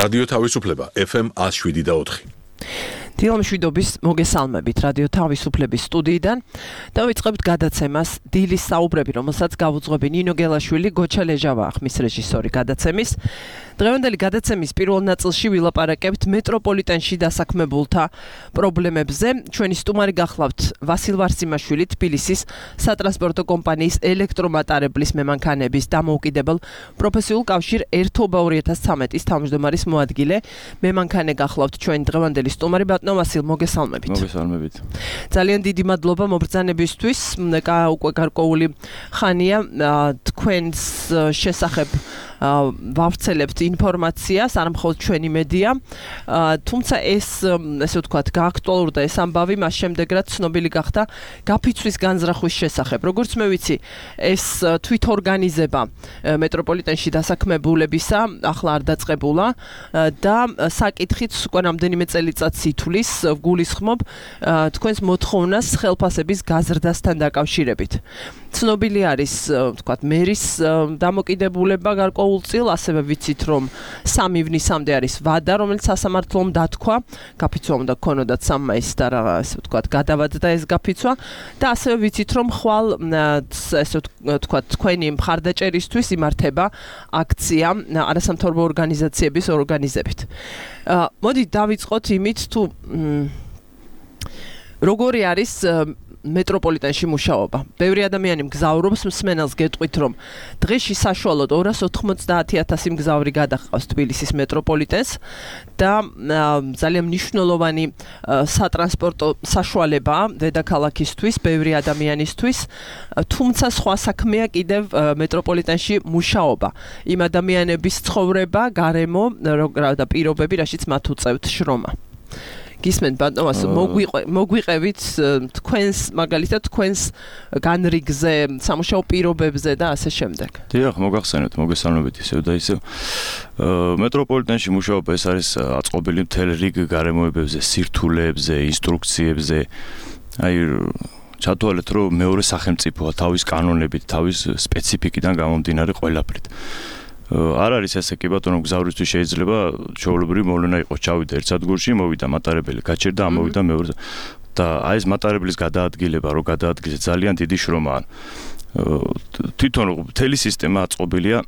რადიო თავისუფლება FM 107.4. დილამშვიდობის მოგესალმებით რადიო თავისუფლების სტუდიიდან. დავიწყებთ გადაცემას დილის საუბრები, რომელსაც გავუძღვები ნინო გელაშვილი, გოჩა ლეჟავაა ხმის რეჟისორი გადაცემის. დღევანდელი გადაცემის პირველ ნაწილში ვილაპარაკებთ მეტროპოლიტენში დასაქმებულთა პრობლემებზე. ჩვენი სტუმარი გახლავთ ვასილ ვარსიმაშვილი, თბილისის სატრანსპორტო კომპანიის ელექტრომატარებლის მემანქანების დამოუკიდებელ პროფესიულ კავშირ ერთობა 2013-ის თავმჯდომარის მოადგილე. მემანქანე გახლავთ ჩვენი დღევანდელი სტუმარი ბატონო ვასილ, მოგესალმებით. მოგესალმებით. ძალიან დიდი მადლობა მობრძანებისთვის. უკვე გარკვეული ხანია თქვენს შესახებ ვავრცელებთ ინფორმაციას, არ მხოლოდ ჩვენი მედია, თუმცა ეს, ესე ვთქვათ, გააქტუალურდა ეს ამბავი მას შემდეგ, რაც ცნობილი გახდა გაფიცვის განზრახვის შესახებ. როგორც მე ვიცი, ეს თვითორგანიზება მეტროპოლიტენში დასაქმებულებისა ახლა არ დაწყებულა და საკითხიც უკვე რამდენიმე წელიწადს ითვლის, გულისხმობ თქვენს მოთხოვნას ხელფასების გაზრდასთან დაკავშირებით. ცნობილი არის, ვთქვათ, მერის დამოკიდებულება გარკვეულწილ, ასევე ვიცით, რომ 3 ივნისამდე არის ვადა, რომელიც სასამართლომ დათქვა, გაფიცვა უნდა გქონოდათ 3 მაისს და რა, ესე ვთქვათ, გადავადდა ეს გაფიცვა და ასევე ვიცით, რომ ხვალ ესე ვთქვათ, თქვენი მხარდაჭერისთვის იმართება აქცია არასამთავრობო ორგანიზაციების ორგანიზებით. მოდი დავიწყოთ იმით, თუ როგორი არის მეტროპოლიტენში მუშაობა. ბევრი ადამიანი მგზავრობს, მსმენელს გეტყვით, რომ დღეში საშუალოდ 290,000 მგზავრი გადაჰყავს თბილისის მეტროპოლიტენს და ძალიან მნიშვნელოვანი სატრანსპორტო საშუალებაა დედაქალაქისთვის, ბევრი ადამიანისთვის, თუმცა სხვა საქმეა კიდევ მეტროპოლიტენში მუშაობა. იმ ადამიანების ცხოვრება, გარემო და პირობები, რაშიც მათ უწევთ შრომა. გისმენთ ბატონო, მოგვიყევით თქვენს მაგალითად თქვენს განრიგზე, სამუშაო პირობებზე და ასე შემდეგ. დიახ, მოგახსენებთ, მოგესალმებით ისევ და ისევ. მეტროპოლიტენში მუშაობა ეს არის აწყობილი მთელ რიგ გარემოებებზე, სირთულეებზე, ინსტრუქციებზე. აი ჩათვალეთ, რომ მეორე სახელმწიფოა თავის კანონებით, თავის სპეციფიკიდან გამომდინარე ყველაფრით. არ არის ესე კი ბატონო, მგზავრისთვის შეიძლება ჩვეულებრივი მოვლენა იყოს, ჩავიდა ერთ სადგურში, მოვიდა მატარებელი, გაჩერდა, ამოვიდა მეორე და აი ეს მატარებლის გადაადგილება, რო გადაადგილე ძალიან დიდი შრომაა. თვითონ მთელი სისტემა აწყობილია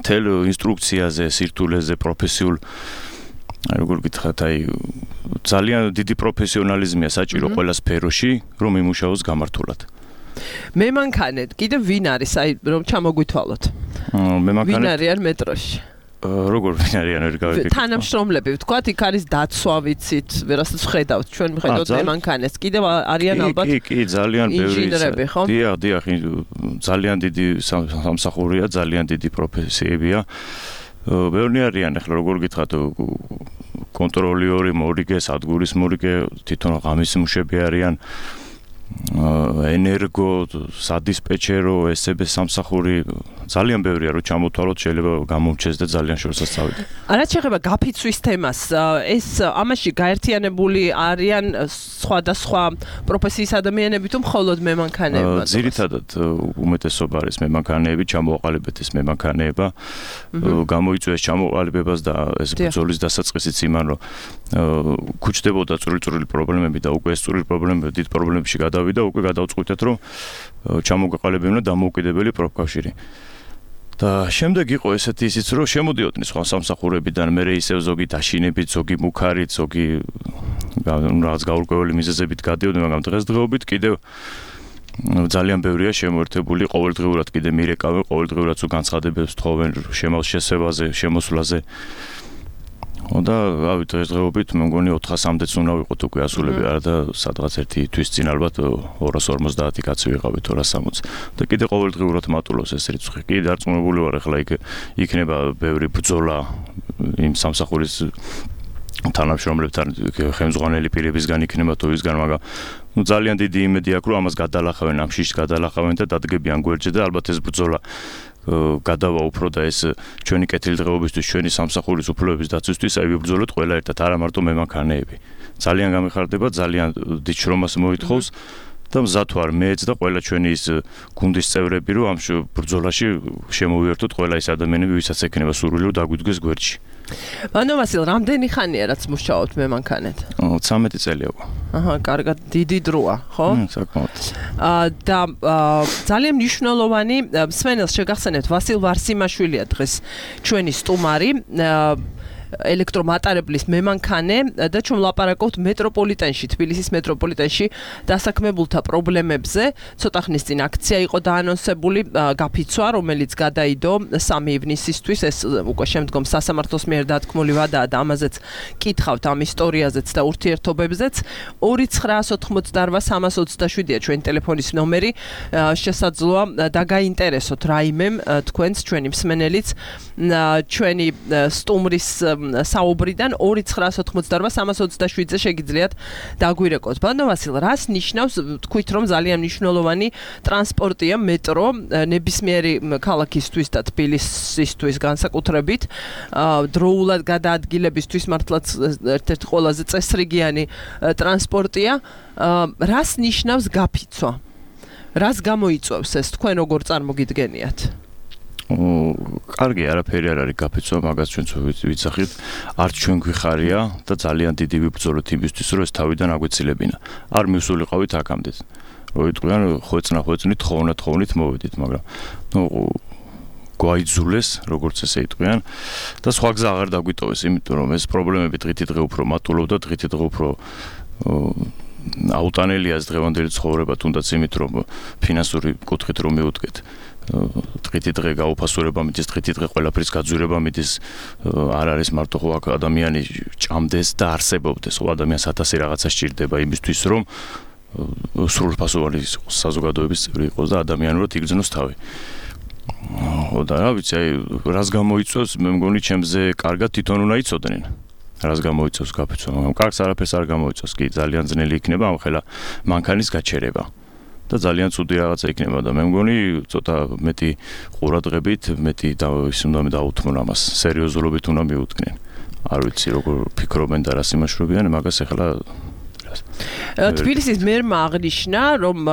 მთელ ინსტრუქციაზე, სირთულეზე, პროფესიულ როგორ გითხრათ, აი ძალიან დიდი პროფესიონალიზმია საჭირო ყველა სფეროში, რომ იმუშაოს გამართულად. მემანქანე კიდევ ვინ არის, აი რომ ჩამოგვითვალოთ? მემანქანე ვინ არიან მეტროში? როგორ ვინ არიან, ვერ გავიგებ. თანამშრომლები, ვთქვათ, იქ არის დაცვა, ვიცით, ვერასდროს ხედავთ, ჩვენ ვხედავთ მემანქანეს. კიდევ არიან ალბათ კი, ძალიან ბევრი. ინჟინერები, ხო? დიახ, ძალიან დიდი სამსახურია, ძალიან დიდი პროფესიებია. ბევრი არიან, ახლა როგორ გითხრათ, კონტროლიური, მორიგე, სადგურის მორიგე, თვითონ ღამის მუშები არიან. ენერგო, სადისპეჩერო, ესები სამსახური ძალიან ბევრია, რომ ჩამოთვალოთ, შეიძლება გამომჩეს და ძალიან შორსაც წავიდეთ. რაც შეეხება გაფიცვის თემას, ეს ამაში გაერთიანებული არიან სხვადასხვა პროფესიის ადამიანები თუ მხოლოდ მემანქანეები? ძირითადად უმეტესობა არის მემანქანეები, ჩამოაყალიბეთ ეს მემანქანეება, გამოიწვიეს ჩამოყალიბებას და ეს ბრძოლის დასაწყისიც იმან, რომ ქუჩდებოდა წვრილი პრობლემები და უკვე ეს წვრილი პრობლემები დიდ პრობლემებში გადავიდა, უკვე გადავწყვიტეთ, რომ ჩამოყალიბებინა დამოუკიდებელი პროფკავშირი. და შემდეგ იყო ესეთი ისიც, რომ შემოდიოდნენ სხვა სამსახურებიდან, მერე ისევ ზოგი დაშინებით, ზოგი მუქარით, ზოგი რაღაც გაურკვეველი მიზეზებით გადიოდნენ, მაგრამ დღესდღეობით კიდევ ძალიან ბევრია შემოერთებული, ყოველდღიურად კიდე მირეკავენ, ყოველდღიურად თუ განცხადებებს თხოვენ შემალ შესევაზე, შემოსვლაზე. და რავი, დღესდღეობით მე მგონი 400-მდეც უნდა ვიყოთ უკვე ასულები, არა და სადღაც ერთი თვის წინ ალბათ 250 კაცი ვიყავით, 260 და კიდე ყოველდღიურად მატულობს ეს რიცხვი. კი დარწმუნებული ვარ, ახლა იქნება ბევრი ბრძოლა იმ სამსახურის თანამშრომლებთან, ხელმძღვანელი პირებისგან იქნება თუ ისგან, მაგრამ ძალიან დიდი იმედი აქვს, რომ ამას გადალახავენ, ამ შიშს გადალახავენ და დადგებიან გვერდზე და ალბათ ეს ბრძოლა გადავა უფრო და ეს ჩვენი კეთილდღეობისთვის, ჩვენი სამსახურის უფლებების დაცვისთვის აი ვიბრძოლოთ ყველა ერთად, არა მარტო მემანქანეები. ძალიან გამიხარდება, ძალიან დიდ შრომას მოითხოვს და მზად ვარ მეც და ყველა ჩვენი ის გუნდის წევრები, რომ ამ ბრძოლაში შემოვიერთოთ ყველა ის ადამიანები, ვისაც ექნება სურვილი, რომ დაგვიდგეს გვერდში. ბანო ვასილ, რამდენი ხანია რაც მუშაობთ მემანქანეთ? 13 წელი უკვე. აჰა, კარგად, დიდი დროა, ხო? საკმაოდ. და ძალიან მნიშვნელოვანი მსმენელს შეგახსენებთ, ვასილ ვარსიმაშვილია დღეს ჩვენი სტუმარი. ელექტრომატარებლის მემანქანე და ჩვენ ვლაპარაკობთ მეტროპოლიტენში, თბილისის მეტროპოლიტენში დასაქმებულთა პრობლემებზე. ცოტა ხნის წინ აქცია იყო დაანონსებული, გაფიცვა, რომელიც გადაიდო 3 ივნისისთვის. ეს უკვე შემდგომ სასამართლოს მიერ დათქმული ვადაა და ამაზეც კითხავთ ამ ისტორიაზეც და ურთიერთობებზეც. 2988327-ია ჩვენი ტელეფონის ნომერი. შესაძლოა დაგაინტერესოთ რაიმემ თქვენს ჩვენი მსმენელიც ჩვენი სტუმრის საუბრიდან 2988327-ზე შეგიძლიათ დაგვირეკოთ. ბანო ვასილ, რას ნიშნავს თქვით რომ ძალიან მნიშვნელოვანი ტრანსპორტია მეტრო ნებისმიერი ქალაქისთვის და თბილისისთვის განსაკუთრებით დროულად გადაადგილებისთვის მართლაც ერთ-ერთი ყველაზე წესრიგიანი ტრანსპორტია. რას ნიშნავს გაფიცვა? რას გამოიწვევს ეს თქვენ როგორ წარმოგიდგენიათ? კარგი, არაფერი არ არის გაფიცვა, მაგას ჩვენც ვიცახით. არც ჩვენ გვიხარია და ძალიან დიდი ვიბრძოლოთ იმისთვის, რომ ეს თავიდან აგვეცილებინა. არ მივსულიყავით აქამდე. რომ იტყვიან ხვეწნით, თხოვნით მოვედით, მაგრამ გვაიძულეს, როგორც ესე იტყვიან და სხვა გზა აღარ დაგვიტოვეს, იმიტომ რომ ეს პრობლემები დღითი დღე უფრო მატულობდა, დღითი დღე უფრო აუტანელია ეს დღევანდელი ცხოვრება, თუნდაც იმით რომ ფინანსური კუთხით რომ მივუდგეთ. დღითი დღე გაუფასურება მიდის, დღითი დღე ყველაფრის გაძვირება მიდის, არ არის მარტო ხო აქ ადამიანი ჭამდეს და არსებობდეს, ხო ადამიანს 1000 რაღაცა სჭირდება იმისთვის რომ სრულფასოვანი საზოგადოების წევრი იყოს და ადამიანურად იგრძნოს თავი. ხო და რა ვიცი, აი რას გამოიწვევს, მე მგონი ჩემზე კარგად თვითონ უნდა იცოდნენ. რას გამოიწვევს გაფიცვა, მაგრამ კარგს არაფერს არ გამოიწვევს, კი ძალიან ძნელი იქნება ამ ხელა მანქანის გაჩერება. და ძალიან ცუდი რაღაცა იქნება და მე მგონი ცოტა მეტი ყურადღებით, მეტი ის უნდა დაუთმონ ამას, სერიოზულობით უნდა მიუდგნენ. არ ვიცი როგორ ფიქრობენ და რას იმაშრობიან, მაგას ახლა თბილისის მერმა აღნიშნა, რომ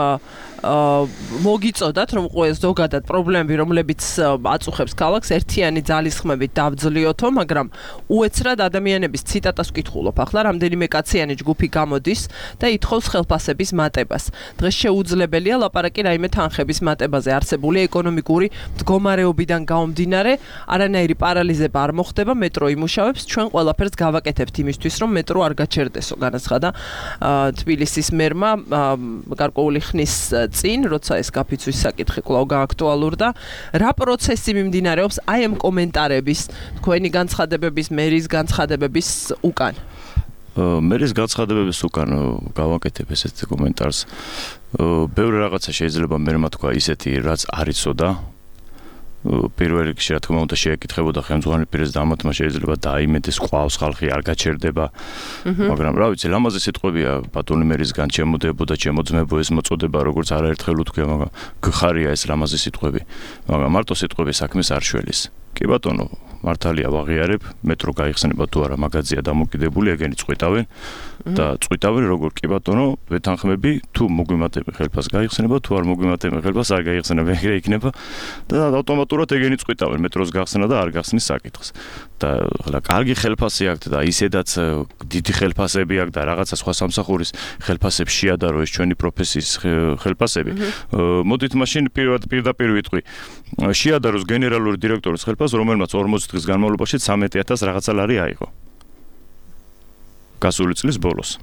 მოგიწოდათ, რომ ზოგადად პრობლემები, რომლებიც აწუხებს ქალაქს, ერთიანი ძალისხმებით დავძლიოთო, მაგრამ უეცრად ადამიანების ციტატას ვკითხულობ. ახლა რამდენიმე კაციანი ჯგუფი გამოდის და ითხოვს ხელფასების მატებას. დღეს შეუძლებელია ლაპარაკი რაიმე თანხების მატებაზე. არსებული ეკონომიკური მდგომარეობიდან გამომდინარე, არანაირი პარალიზება არ მოხდება, მეტრო იმუშავებს, ჩვენ ყველაფერს გავაკეთებთ იმისთვის, რომ მეტრო არ გაჩერდესო, განაცხადა თბილისის მერმა გარკვეული ხნის წინ, როცა ეს გაფიცვის საკითხი კვლავ გააქტუალურდა, რა პროცესი მიმდინარეობს აი ამ კომენტარების, თქვენი განცხადებების, მერის განცხადებების უკან? მერის განცხადებების უკან გავაკეთებ ესეთ კომენტარს. ბევრი რაღაცა შეიძლება მერმა თქვა ისეთი, რაც არ იცოდა. პირველ რიგში რა თქმა უნდა შეეკითხებოდა ხელმძღვანელ პირებს და ამათმა შეიძლება დაიმეტეს ყავს ხალხი არ გაჩერდება. მაგრამ რა ვიცი, ლამაზი სიტყვებია ბატონი მერისგან ჩემოდებოდა, ჩემოძმებო ეს მოწოდება, როგორც არაერთხელ უთქვია, მაგრამ გხარია ეს ლამაზი სიტყვები. მაგრამ მარტო სიტყვები საქმეს არ შველის. კი ბატონო, მართალია ვაღიარებ, მეტრო გაიხსნება თუ არა მაგაზია დამოკიდებული, ეგენი წვიტავენ და წვიტავენ როგორ კი ბატონო, ვეთანხმები, თუ მოგვიმატებენ ხელფას გაიხსნება, თუ არ მოგვიმატებენ ხელფას არ გაიხსნება, ეგრე იქნება და ავტომატურად ეგენი წვიტავენ მეტროს გახსნა და არ გახსნის საკითხს. და ხლა კარგი ხელფასი აქვს და ისედაც დიდი ხელფასები აქვს და რაღაცა სხვა სამსახურის ხელფასებს შეადარო ეს ჩვენი პროფესიის ხელფასები. მოდით მაშინ პირდაპირ ვიტყვი. შეადაროს გენერალური დირექტორის ხელფასს, რომელმაც 40 დღის განმავლობაში 13,000 რაღაცა ლარი აიღო. გასული წლის ბოლოს.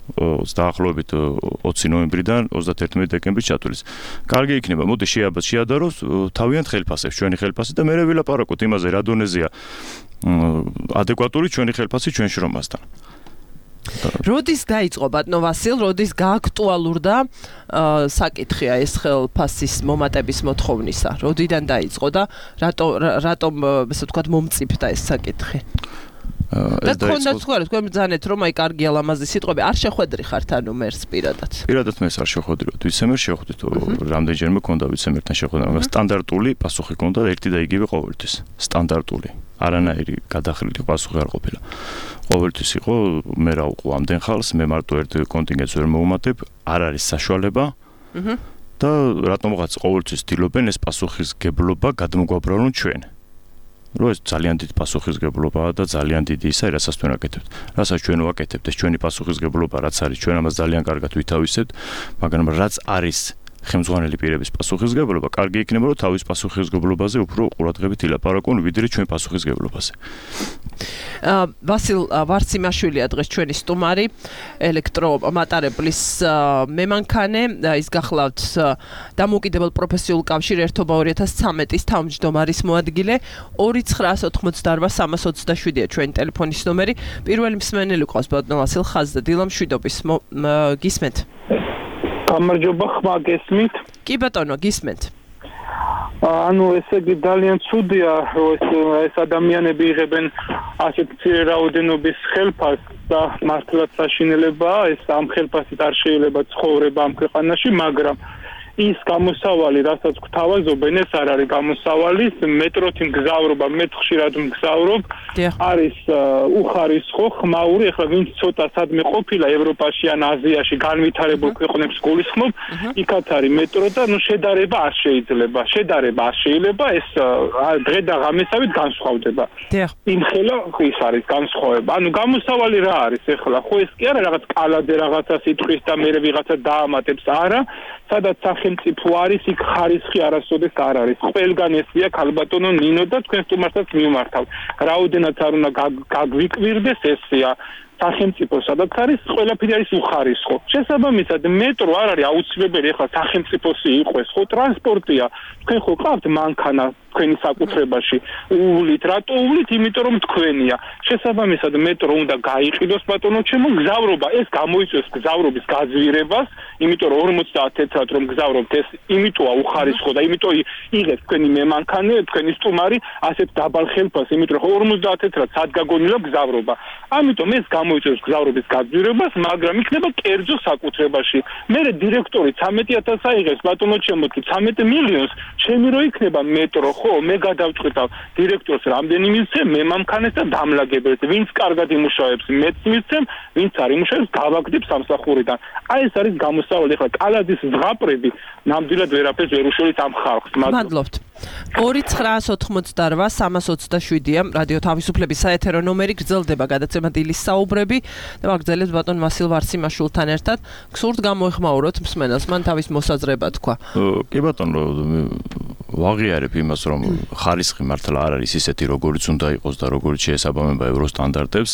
დაახლოებით 20 ნოემბრიდან 31 დეკემბრის ჩათვლის. კარგი იქნება, მოდი შეადაროს თავიანთ ხელფასებს, ჩვენი ხელფასი და მერე ვილაპარაკოთ იმაზე, რა დონეზეა ადეკვატური ჩვენი ხელფასი ჩვენ შრომასთან. როდის დაიწყო ბატონო ვასილ, როდის გააქტუალურდა საკითხია ეს ხელფასის მომატების მოთხოვნისა? როდიდან დაიწყო და რატომ ესე ვთქვათ მომწიფდა ეს საკითხი? და თქვენაც თქვენ ბრძანეთ რომ აი კარგია ლამაზი სიტყვები არ შეხვედრი ხართ ანუ მერს პირადად. პირადად მერს არ შეხვედრიოთ, ვიცემერ შეხვდით, რამდენჯერმე მქონდა ვიცემერთან შეხვედრა, მაგრამ სტანდარტული პასუხი მქონდა ერთი და იგივე ყოველთვის. სტანდარტული. არანაირი გადახრილი პასუხი არ ყოფილა. ყოველთვის იყო მე რა უყო ამდენ ხალხს, მე მარტო ერთ კონტინგენტს ვერ მოუმატებ, არ არის საშუალება. და რატომღაც ყოველთვის ცდილობენ ეს პასუხისგებლობა გადმოგვაბრალონ ჩვენ. რომ ეს ძალიან დიდი პასუხისმგებლობაა და ძალიან დიდი ისა, რასაც თქვენ აკეთებთ. რასაც ჩვენ ვაკეთებთ, ეს ჩვენი პასუხისმგებლობა რაც არის, ჩვენ ამას ძალიან კარგად ვითავისებთ, მაგრამ რაც არის ხელმძღვანელი პირების პასუხისმგებლობა, კარგი იქნება, რომ თავის პასუხისმგებლობაზე უფრო ყურადღებით ილაპარაკონ, ვიდრე ჩვენ პასუხისმგებლობაზე. ვასილ ვარციმაშვილია დღეს ჩვენი სტუმარი, ელექტრომატარებლის მემანქანე, ის გახლავთ დამოუკიდებელ პროფესიულ კავშირ ერთობა 2013-ის თავმჯდომარის მოადგილე 2988327-ია ჩვენი ტელეფონის ნომერი. პირველი მსმენელი ყავს ბატონ ვასილ ხაზდა დილამშვიდობის გისმენთ. გამარჯობა, ხმა გესმით? კი ბატონო, გისმენთ. ანუ ესე იგი ძალიან ცუდია, რომ ეს ადამიანები იღებენ ასეთ მცირე რაოდენობის ხელფასს და მართლაც საშინელებაა, ეს ამ ხელფასით არ შეიძლება ცხოვრება ამ ქვეყანაში, მაგრამ ის გამოსავალი, რასაც გვთავაზობენ, ეს არ არის გამოსავალი, მეტროთი მგზავრობა, მე ხშირად მგზავრობ, არის უხარისხო, ხმაური, ახლა ვინც ცოტა სადმე ყოფილა ევროპაში ან აზიაში განვითარებულ ქვეყნებს გულისხმობ, იქაც არის მეტრო და შედარება არ შეიძლება, ეს დღე და ღამესავით განსხვავდება. იმხელა ის არის განსხვავება. ანუ გამოსავალი რა არის ახლა? ხო ეს კი არა რაღაც კალადე რაღაცა სიტყვის და მე ვიღაცა დაამატებს, არა, სადაც სახელმწიფო არის, იქ ხარისხი არასოდეს არ არის. ყველგან ესია ქალბატონო ნინო და თქვენ სტუმარსაც მიმართავ. რაოდენად არ უნდა გაგვიკვირდეს ესია. სახელმწიფო სადაც არის, ყველაფერი არის უხარისხო. შესაბამისად, მეტრო არ არის აუცილებელი ახლა სახელმწიფოსი იყოს, ხო ტრანსპორტია. თქვენ ხო ყავთ მანქანა თქვენი საკუთრებაში. უვლით, რატო უვლით? იმიტომ რომ თქვენია. შესაბამისად, მეტრო უნდა გაიყიდოს ბატონო ჩემო, გზავრობა ეს გამოიწვევს გზავრობის გაძვირებას, იმიტომ რომ 50 თეთრად რომ გზავრობთ, ეს იმიტოა უხარისხო და იმიტომ იღებს თქვენი მემანქანე, თქვენი სტუმარი ასეთ დაბალ ხელფასს, იმიტომ რომ 50 თეთრად სად გაგონილა გზავრობა. ამიტომ ეს გამოიწვევს გზავრობის გაძვირებას, მაგრამ იქნება კერძო საკუთრებაში. მე დირექტორი 13000 აიღებს ბატონო ჩემო, თუ 13 მილიონს, ჩემი რო იქნება მეტრო, ხო, მე გადავწყვიტავ დირექტორს რამდენი მივცემ, მემანქანეს და დამლაგებელს, ვინც კარგად იმუშავებს, მეც მივცემ, ვინც არ იმუშავებს, გავაგდებ სამსახურიდან. აი ეს არის გამოსავალი, ახლა კალადის ზღაპრები ნამდვილად ვერაფერს ვერ უშველით ამ ხალხს. მადლობთ. 2988327-ია რადიო თავისუფლების საეთერო ნომერი, გრძელდება გადაცემა დილის საუბრები და ვაგრძელებთ ბატონ ვასილ ვარციმაშვილთან ერთად. გსურთ გამოეხმაუროთ მსმენელს, მან თავის მოსაზრება თქვა. კი ბატონო, ვაღიარებ იმას, რომ ხარისხი მართლა არ არის ისეთი, როგორიც უნდა იყოს და როგორიც შეესაბამება ევროსტანდარტებს.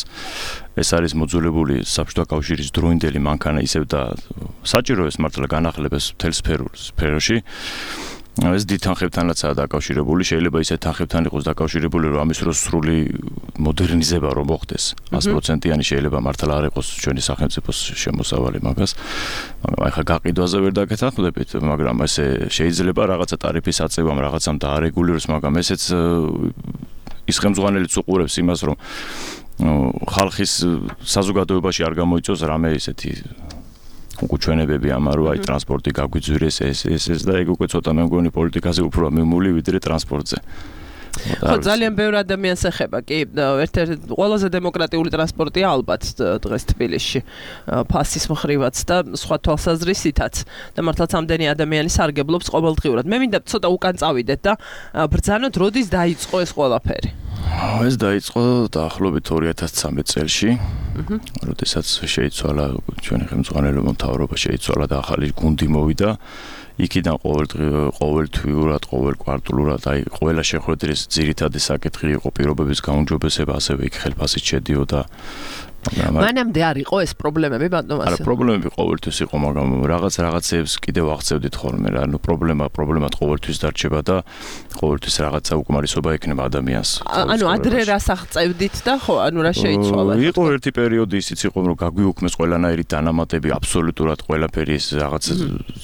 ეს არის მოძველებული საბჭოთა კავშირის დროინდელი მანქანა ისევ და საჭირო ეს მართლა განახლებეს მთელ სფეროში. ეს დიდ თანხებთანაცაა დაკავშირებული, შეიძლება ისეთ თანხებთან იყოს დაკავშირებული, რომ ამის დროს სრული მოდერნიზება რომ მოხდეს. 100%-იანი შეიძლება მართლა არ იყოს ჩვენი სახელმწიფოს შემოსავალი მაგას. მაგრამ ახლა გაყიდვაზე ვერ დაგეთანხმდებით, მაგრამ ესე შეიძლება რაღაცა ტარიფის აწევამ რაღაცამ დაარეგულიროს, მაგრამ ესეც ის ხელმძღვანელიც უყურებს იმას, რომ ხალხის საზოგადოებაში არ გამოიწვევს რამე ისეთი უჩვენებები ამან, რომ აი ტრანსპორტი გაგვიძვირეს ეს და ეგ უკვე ცოტა მე მგონი პოლიტიკაზე უფრო მიმული ვიდრე ტრანსპორტზე. ხო, ძალიან ბევრი ადამიანს ეხება, კი, ერთ-ერთი ყველაზე დემოკრატიული ტრანსპორტია ალბათ დღეს თბილისში, ფასის მხრივაც და სხვა თვალსაზრისითაც და მართლაც ამდენი ადამიანი სარგებლობს ყოველდღიურად. მე მინდა ცოტა უკან წავიდეთ და ბრძანოთ, როდის დაიწყო ეს ყველაფერი. ეს დაიწყო დაახლოებით 2013 წელში, როდესაც შეიცვალა ჩვენი ხელმძღვანელობა, მთავრობა შეიცვალა და ახალი გუნდი მოვიდა. იქიდან ყოველთვიურად, ყოველკვარტალურად, აი ყველა შეხვედრის ძირითადი საკითხი იყო პირობების გაუმჯობესება, ასევე იქ ხელფასით შედიოდა. მანამდე არ იყო ეს პრობლემები ბატონ ვასილ? არა, პრობლემები ყოველთვის იყო, მაგრამ რაღაცებს კიდევ აღწევდით ხოლმე რა. ანუ პრობლემად ყოველთვის დარჩება და ყოველთვის რაღაცა უკმარისობა ექნება ადამიანს. ანუ ადრე რას აღწევდით და ხო, ანუ რა შეიცვალა? იყო ერთი პერიოდი ისიც იყო, რომ გაგვიუქმეს ყველანაირი დანამატები, აბსოლუტურად ყველაფერი ის რაღაც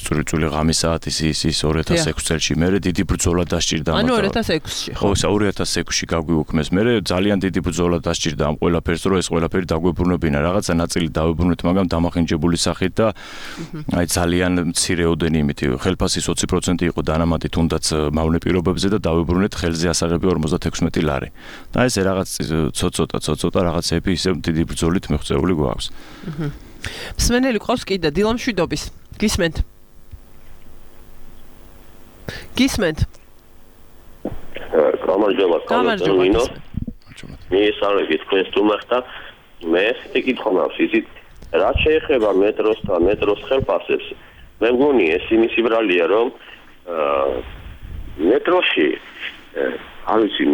წვრილი ღამის საათის ის 2006 წელში, მერე დიდი ბრძოლა დასჭირდა. ანუ 2006-ში ხო? ხო, 2006-ში გაგვიუქმეს, მერე ძალიან დიდი ბრძოლა დასჭირდა ამ ყველაფერს, რომ ეს ყველაფერი დაგვებრუნებინა, რაღაცა ნაწილი დავებრუნეთ, მაგრამ დამახინჯებული სახით და აი ძალიან მცირეოდენი იმით, ხელფასის 20% იყო დანამატი თუნდაც მავნე პირობებზე და დავებრუნეთ ხელზე ასაღები 56 ლარი. და ესე რაღაც ცოტა რაღაცები ისე დიდი ბრძოლით მიღწეული გვაქვს. მსმენელი ყავს კიდე დილამშვიდობის. გისმენთ? გამარჯობა. გამარჯობა. მიესალმებით თქვენს სტუმარს და მე ესე კითხვა მაქვს ისიც რაც შეეხება მეტროს და მეტროს ხელფასებს მე მგონი ეს იმის ბრალია რომ მეტროში არ ვიცი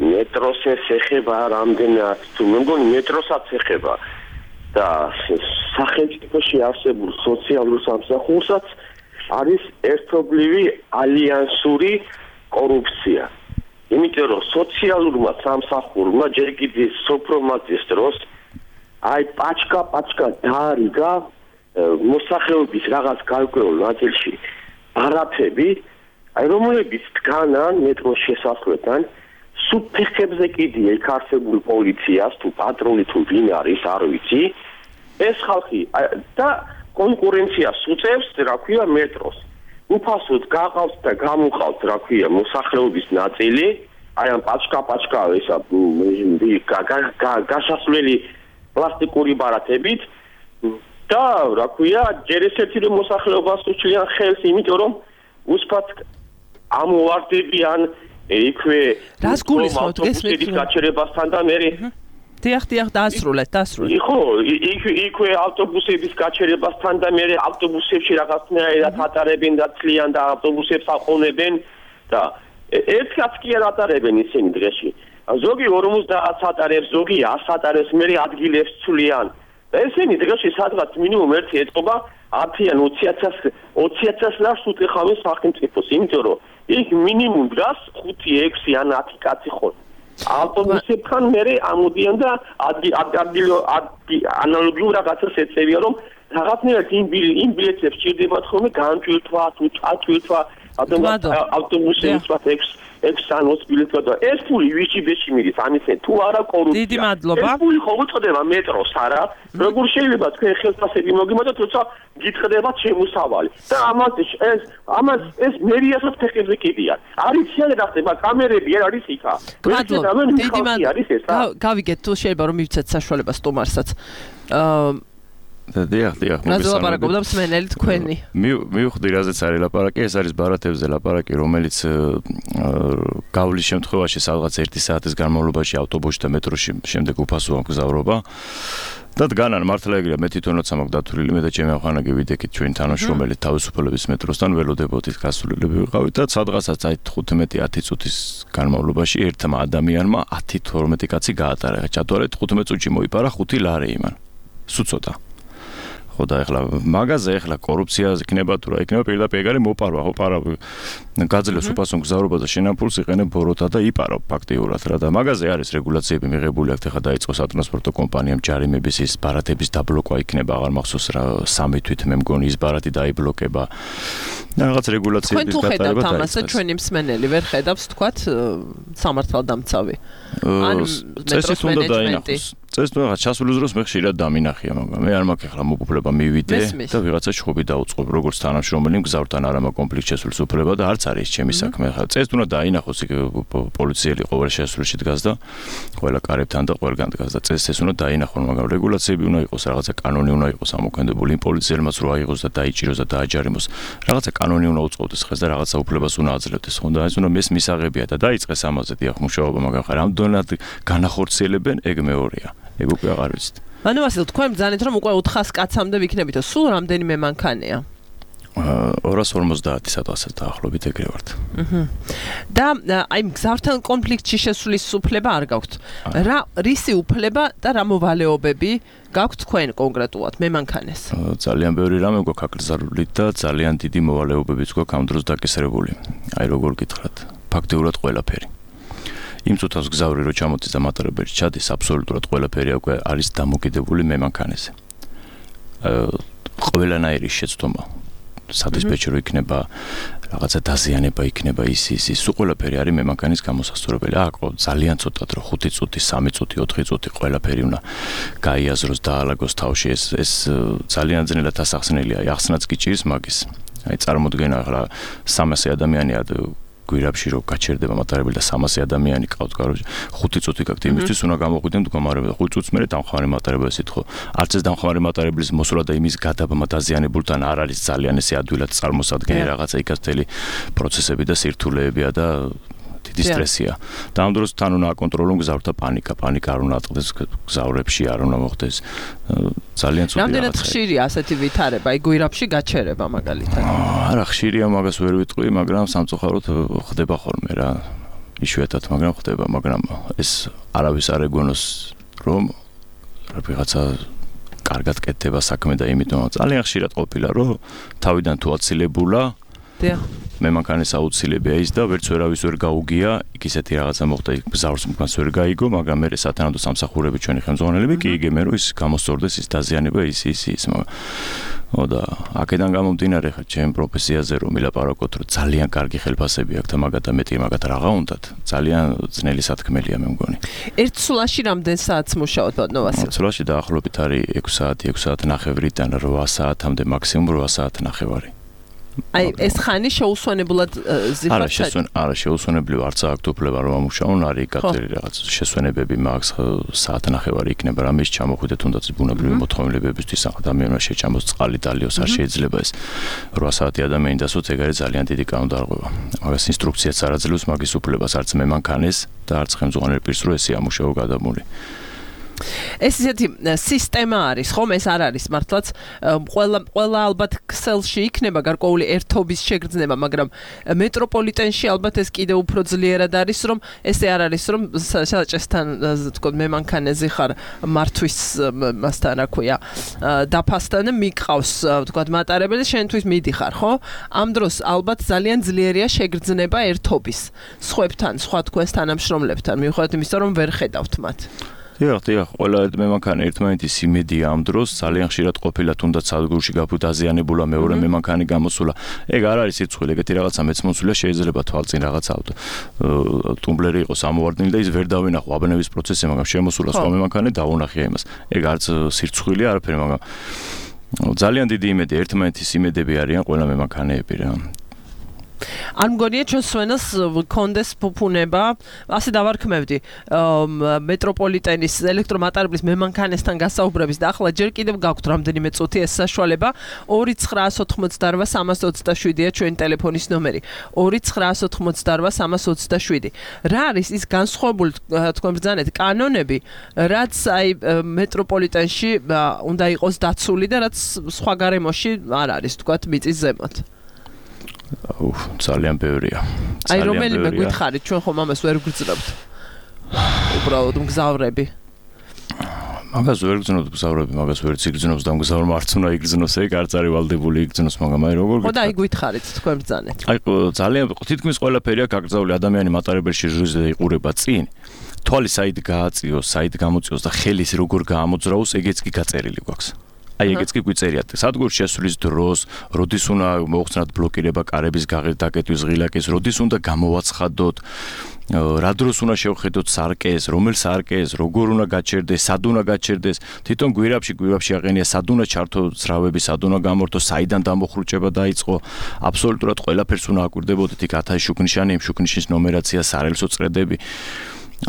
მეტროს ეხება რამდენად თუ მე მგონი მეტროსაც ეხება და სახელმწიფოში არსებულ სოციალურ სამსახურსაც არის ერთობლივი ალიანსური კორუფცია. იმიტომ რომ სოციალურმა სამსახურმა ჯერ კიდევ სოფრომატის დროს აი პაჩკა დაარიგა მოსახლეობის რაღაც გარკვეულ ნაწილში ბარათები, აი რომლებიც დგანან მეტროს შესასვლელთან სუფეხებზე კიდე იქ არსებულ პოლიციას თუ პატრული თუ ვინ არის არ ვიცი ეს ხალხი და კონკურენციას უწევს რა ქვია მეტროს უფასოდ გაყავს და გამოყავს რა ქვია მოსახლეობის ნაწილი აი ამ პაჩკა ესა გასასვლელი პლასტიკური ბარათებით და რა ქვია ჯერ ესეთი რომ მოსახლეობას უჩლიან ხელს იმიტომ რომ უსფათ ამოვარდებიან იქვე რას გულისხმობთ გესმით გაჩერებასთან და მე დიახ დაასრულეთ ხო იქვე ავტობუსების გაჩერებასთან და მე ავტობუსებში რაღაცნაირად ატარებენ და ცლიან და ავტობუსებს აყოლებენ და ერთად კი არ ატარებენ ისინი დღეში ზოგი 50 ატარებს ზოგი 100 ატარებს მე ადგილებს ცვლიან და ესენი დღეში სადღაც მინიმუმ ერთი ეტყობა 10-ან 20,000 ლარს უტეხავენ სახელმწიფოს იმიტომ რომ იქ მინიმუმ დგას 5-6 ან 10 კაცი ხო ავტობუსებთან მე ამოდიან და ანალოგიურ რაღაცას ეწევიან რომ რაღაცნაირად იმ ბილეთებს სჭირდებათ ხოლმე განჭვირთვა თუ წაწვირთვა ავტობუსების ექსანოს ბილეთს და ეს ფული ვიში ბეში მიდის ამისე თუ არა კორუფცია დიდი მადლობა ეს ფული ხო უწოდება მეტროს არა როგორ შეიძლება თქვენ ხელფასები მოგიმოდოთ თორსა გითხდებათ შემოსავალი და ამას ეს მერიასაც ფეხებზე კიდიან არის შეიძლება რა ხდება კამერები არ არის იქა დიდი მადლობა გავიგეთ თუ შეიძლება რომ მივცეთ საშუალებას სტუმარსაც დიახ მოგესალმებით მსმენელი თქვენი მივხვდი რაზეც არის ლაპარაკი ეს არის ბარათებზე ლაპარაკი რომელიც გავლის შემთხვევაში სადღაც 1 საათის განმავლობაში ავტობუსში და მეტროში შემდეგ უფასოა მგზავრობა და დგანან მართლა ეგრეა მე თვითონაც ამაქვს დათვლილი მე და ჩემი ახანაგი ვიდექით ჩვენ თანამშრომელი თავისუფლების მეტროსთან ველოდებოდით გასულელები ვიყავით და სადღაცაც აი 15-10 წუთის განმავლობაში ერთმა ადამიანმა 10-12 კაცი გაატარა ჩათვალეთ 15 წუთში მოიპარა 5 ლარი იმან სუცოტა ხო და ეხლა მაგაზე ეხლა კორუფციაზე იქნება თუ რა იქნება პირდაპირ ეგარი მოპარვა ხო პარა გაძლევს უფასო მგზავრობა და შენამფულს იყენებ ბოროტა და იპარო ფაქტიურად რა და მაგაზე არის რეგულაციები მიღებული აქ ეხლა დაიწყო სატრანსპორტო კომპანიამ ჯარიმების ის ბარათების დაბლოკვა იქნება აღარ მახსოვს რა 3 თვით მე მგონი ის ბარათი დაიბლოკება და რაღაც რეგულაციების გატარება და ამასე ჩვენი მსმენელი ვერ ხედავს თქვათ სამართალდამცავი ან მეტროს მენეჯმენტი წეს თუ რაღაც ჩასვლის დროს მე ხშირად დამინახია მაგრამ მე არ მაქვს ახლა მოგუფლება მივიდე და ვიღაცა შხობი დაუწყობ როგორც თანამშრომელი მგზავრთან არ მაქვს კონფლიქტ შესვლის უფლება და არც არის ჩემი საქმე ახლა წეს თუ დაინახოს იქ პოლიციელი ყოველ შესვლილში დგას და ყველა კარებთან და ყველგან დგას და წეს ეს უნდა დაინახონ მაგრამ რეგულაციები უნდა იყოს რაღაცა კანონი უნდა იყოს ამოქმედებული იმ პოლიციელმაც რო აიღოს და დაიჭიროს და დააჯარიმოს რაღაცა კანონი უნდა უწყობდეს ხეს და რაღაცა უფლებას უნდა აძლევდეს ხო და ეს უნდა მისაღებია და დაიწყეს ამაზე დიახ მუშაობა მაგრამ ხარ ამდენად განახორციელებენ ეგ მეორეა ეგ უკვე აღარ ვიცით. ანუ ასე თქვენ ბრძანეთ რომ უკვე 400 კაცამდე ვიქნებით, სულ რამდენიმე მანქანია? 250 სადღაც დაახლოებით ეგრე ვართ. და აი მგზავრთან კონფლიქტში შესვლის უფლება არ გაქვთ. რა რისი უფლება და რა მოვალეობები გაქვთ თქვენ კონკრეტულად მემანქანეს? ძალიან ბევრი რამე გვაქვს აკრძალული და ძალიან დიდი მოვალეობებიც გვაქვს ამ დროს დაკისრებული. აი როგორ გითხრათ, ფაქტიურად ყველაფერი. იმ წუთას გზავრი რო ჩამოდის და მატარებელი ჩადის აბსოლუტურად ყველაფერი უკვე არის დამოკიდებული მემანქანეზე. ყველანაირი შეცდომა სადისპეჩერო იქნება რაღაცა დაზიანება იქნება ის სულ ყველაფერი არის მემანქანის გამოსასწორებელი. აკო ძალიან ცოტად რო 5 წუთი, 3 წუთი, 4 წუთი ყველაფერი უნდა გაიაზროს და აალაგოს თავში ეს ძალიან ძნელად ასახსნელია. ახსნაც კი ჭირს მაგის. აი წარმოდგენა ახლა 300 ადამიანი გვირაბში რო გაჩერდება მატარებელი და 300 ადამიანი ყავთ კაროჯი 5 წუთი გაქვთ იმისთვის უნდა გამოყვიდენ მდგომარეობა 5 წუთს მერე დამხმარე მატარებელს ითხოვ არც ეს დამხმარე მატარებლის მოსვლა და იმის გადაბმა დაზიანებულთან არ არის ძალიან ესე ადვილად წარმოსადგენი რაღაცა იქაც მთელი პროცესები და სირთულეებია და დიდი სტრესია. და ამ დროს თან უნდა აკონტროლონ გზავრთა პანიკა არ უნდა ატყდეს გზავრებში, არ უნდა მოხდეს ძალიან ცუდი რაღაცა. რამდენად ხშირია ასეთი ვითარება, აი გვირაბში გაჩერება მაგალითად? არა, ხშირია მაგას ვერ ვიტყვი, მაგრამ სამწუხაროდ ხდება ხოლმე რა. იშვიათად, მაგრამ ხდება, მაგრამ ეს არავის არ ეგონოს რომ რაღაცა კარგად კეთდება საქმე და იმიტომ ძალიან ხშირად ყოფილა რომ თავიდან თუ აცილებულა მემანქანის აუცილებია ის და ვერც ვერავის ვერ გაუგია იქ ისეთი რაღაცა მოხდა გზავრს მგანს ვერ გაიგო მაგრამ მე სათანადო სამსახურები ჩვენი ხელმძღვანელები კი იგემენ რომ ის გამოსწორდეს ის დაზიანება ის და აქედან გამომდინარე ხა ჩემ პროფესიაზე რომ ვილაპარაკოთ რომ ძალიან კარგი ხელფასები აქვს და მაგათა მეტი მაგათ რაღაცა უნდათ ძალიან ძნელი სათქმელია მე მგონი ერთ სულაში რამდენ საათს მუშაობთ ბატონო ვასილ? სულაში დაახლოებით არის 6 საათი ნახევრიდან 8 საათამდე მაქსიმუმ 8 საათი ნახევარი აი ეს ხანი შეუსვენებლად ზიფხართ არა შეუსვენებლივ არც აქვს უფლება რომ ამუშაონ არის კატერი რაღაც შესვენებები მაქვს საათი ნახევარი იქნება რამის ჩამოხვიდე თუნდაც ბუნებრივი მოთხოვნილებებისთვის ადამიანმა შეჭამოს წყალი დალიოს არ შეიძლება ეს 8 საათი ადამიანი დასვოთ ეგ არის ძალიან დიდი კანონდარღვევა მაგას ინსტრუქციაც არ აძლევს მაგის უფლებას არც მემანქანის და არც ხელმძღვანელ პირს რომ ესე ამუშაო გადამული ეს ისეთი სისტემა არის, ხომ ეს არ არის მართლაც ყველა ალბათ ქსელში იქნება გარკვეული ერთობის შეგრძნება, მაგრამ მეტროპოლიტენში ალბათ ეს კიდევ უფრო ძლიერად არის, რომ ესე არ არის, რომ საჭესთან თქო მემანქანეზე ხარ მართვის მასთან რა ქვია, დაფასთან მიყავს თქო მატარებელი შენთვის მიდიხარ, ხო? ამ დროს ალბათ ძალიან ძლიერია შეგრძნება ერთობის სხვებთან, სხვა თქვენს თანამშრომლებთან, მიუხედავად იმისა, რომ ვერ ხედავთ მათ. დიახ, ყველა მემანქანე ერთმანეთის იმედია ამ დროს ძალიან ხშირად ყოფილა თუნდაც სადგურში გაფუტაზიანებულა მეორე მემანქანი გამოსულა. ეგ არ არის სირცხვილი, ეგეთი რაღაცა მეც მოსულია შეიძლება თვალწინ რაღაცა ტუმბლერი იყოს ამოვარდნილი და ის ვერ დავინახო აბნევის პროცესი, მაგრამ შემოსულა სხვა მემანქანე დავუნახია იმას. ეგ არც სირცხვილი არაფერი, მაგრამ ძალიან დიდი იმედი ერთმანეთის იმედები არიან ყველა მემანქანეები რა. არ მგონია ჩვენ სვენას კონდეს ფუფუნება, ასე დავარქმევდი მეტროპოლიტენის ელექტრომატარებლის მემანქანესთან გასაუბრების და ახლა ჯერ კიდევ გაქვთ რამდენიმე წუთი ეს საშუალება 2988-327-ია ჩვენი ტელეფონის ნომერი 2988-327 რა არის ის განსხვავებული თქვენ ბრძანეთ კანონები რაც აი მეტროპოლიტენში უნდა იყოს დაცული და რაც სხვა გარემოში არ არის თქვათ მიწის ზემოთ ძალიან ბევრია. აი რომელიმე გითხარით ჩვენ ხომ ამას ვერ გვგრძნობთ. უბრალოდ მგზავრები. მაგას ვერ გძნობს მგზავრები, მაგას ვერ ციგრძნობს და მგზავრმა არც უნდა იგრძნოს, ეგ არც არის ვალდებული იგრძნოს, მაგრამ აი როგორ ხო და აი გითხარით თქვენ ბრძანეთ. აი ძალიან თითქმის ყველაფერია გაგრძაული ადამიანი მატარებელში ჟურნალზე იყურება წინ. თვალი საით გააწიოს, საით გამოწიოს და ხელის როგორ გაამოძრაოს, ეგეც კი გაწერილი გვაქვს. აი ეგეც კი გვიწერიათ. სადგურში შესვლის დროს, როდის უნდა მოუხსნათ ბლოკირება კარების დაკეტვის ღილაკის, როდის უნდა გამოვაცხადოთ, რა დროს უნდა შევხედოთ სარკეს, რომელ სარკეს, როგორ უნდა გაჩერდეს, სად უნდა გაჩერდეს. თვითონ გვირაბში აყენია სად უნდა ჩართო ძრავები, სად უნდა გამორთო, საიდან დამოხრუჭება დაიწყო. აბსოლუტურად ყველაფერს უნდა აკვირდებოდეთ, იქ 1000 შუქნიშანი, იმ შუქნიშნის ნომერაცია, სარელსო წრედები.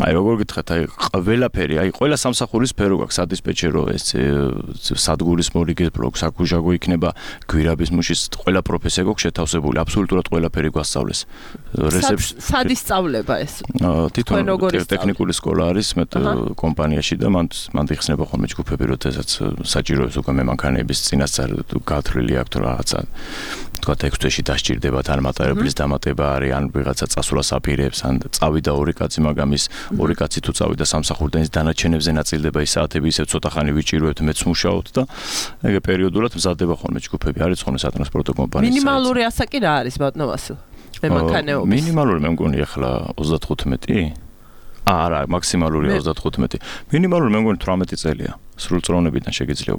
აი როგორ გითხრათ, აი ყველაფერი, აი ყველა სამსახურის სფერო გვაქვს, სადისპეჩერო, ეს სადგურის მორიგე ბლოკ, საკუჟაგო იქნება, გვირაბის მუშის, ყველა პროფესია გვაქვს შეთავსებული, აბსოლუტურად ყველაფერი გვასწავლეს. სად ისწავლება ეს? თვითონ ტექნიკური სკოლა არის მე კომპანიაში და მან იხსნება ხოლმე ჯგუფები, როდესაც საჭიროებს უკვე მემანქანეების წინასწარ გათვლილი აქვს რაღაცა თქვა 6 თვეში დასჭირდებათ ან მატარებლის დამატება არის, ან ვიღაცა წასვლას აპირებს, ან წავიდა ორი კაცი, მაგრამ ის ორი კაცი თუ წავიდა სამსახურიდან ის დანარჩენებზე ნაწილდება ის საათები ისევ ცოტა ხანი ვიჭირვებთ მეც მუშაობთ და ეგ პერიოდულად მზადდება ხოლმე ჯგუფები არის ხოლმე სატრანსპორტო კომპანიის მინიმალური ასაკი რა არის ბატონო ვასილ მემანქანეობის მინიმალური მე მგონი ახლა 35 არა მაქსიმალური 35 მინიმალური მე მგონი 18 წელია სრულწლოვნებიდან შეგიძლია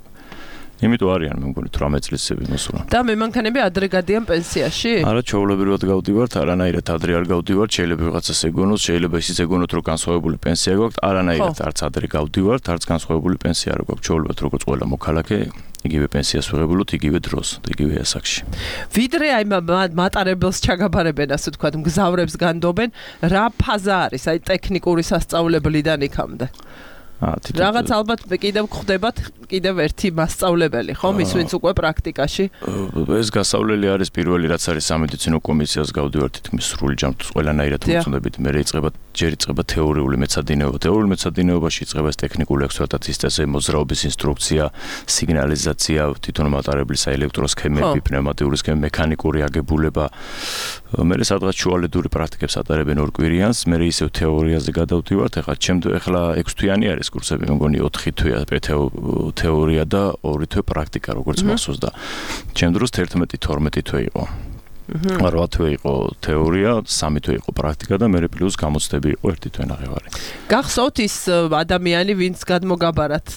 იმიტომ არიან მე მგონი 18 წლისები მოსულა. და მემანქანები ადრე გადიან პენსიაში? არა, ჩვეულებრივად გავდივართ, არანაირად ადრე არ გავდივართ, შეიძლება ვიღაცას ეგონოს, შეიძლება ისიც ეგონოთ, რომ განსხვავებული პენსია გვაქვს, არანაირად არც ადრე გავდივართ, არც განსხვავებული პენსია არ გვაქვს, ჩვეულებრივად როგორც ყველა მოქალაქე, იგივე პენსიას ვიღებულოთ, იგივე დროს, იგივე ასაკში. ვიდრე აი მატარებელს ჩაგაბარებენ, ასე ვთქვათ, მგზავრებს განდობენ, რა ფაზა არის, აი ტექნიკური სასწავლებლიდან იქამდე? რაღაც ალბათ კიდევ გვხვდებათ კიდევ ერთი მასწავლებელი, ხო, ის ვინც უკვე პრაქტიკაში. ეს გასავლელი არის პირველი რაც არის სამედიცინო კომისიას გავდივართ თითქმის სრული ჯამით ყველანაირად მოწოდებით, მე ჯერ იწყება თეორიული მეცადინეობა. თეორიულ მეცადინეობაში იწყება ტექნიკური ექსპლუატაციის წესები, მოძრაობის ინსტრუქცია, სიგნალიზაცია, თვითონ მატარებლის ელექტროსქემები, პნევმატიური სქემები, მექანიკური აგებულება. მე სადღაც შუალედური პრაქტიკებს ატარებენ ორ კვირიანს, მე ისევ თეორიაზე გადავდივართ. ეხლა 6 თვიანი არის კურსები, მე მგონი 4 თვეა თეორია და 2 თვე პრაქტიკა, როგორც მახსოვს და ჩემ დროს 11-12 თვე იყო. 8 თვე იყო თეორია, 3 თვე იყო პრაქტიკა და მე პლუს გამოცდები იყო 1 თვე ნახევარი. გახსოვთ ის ადამიანი, ვინც გადმოგაბარათ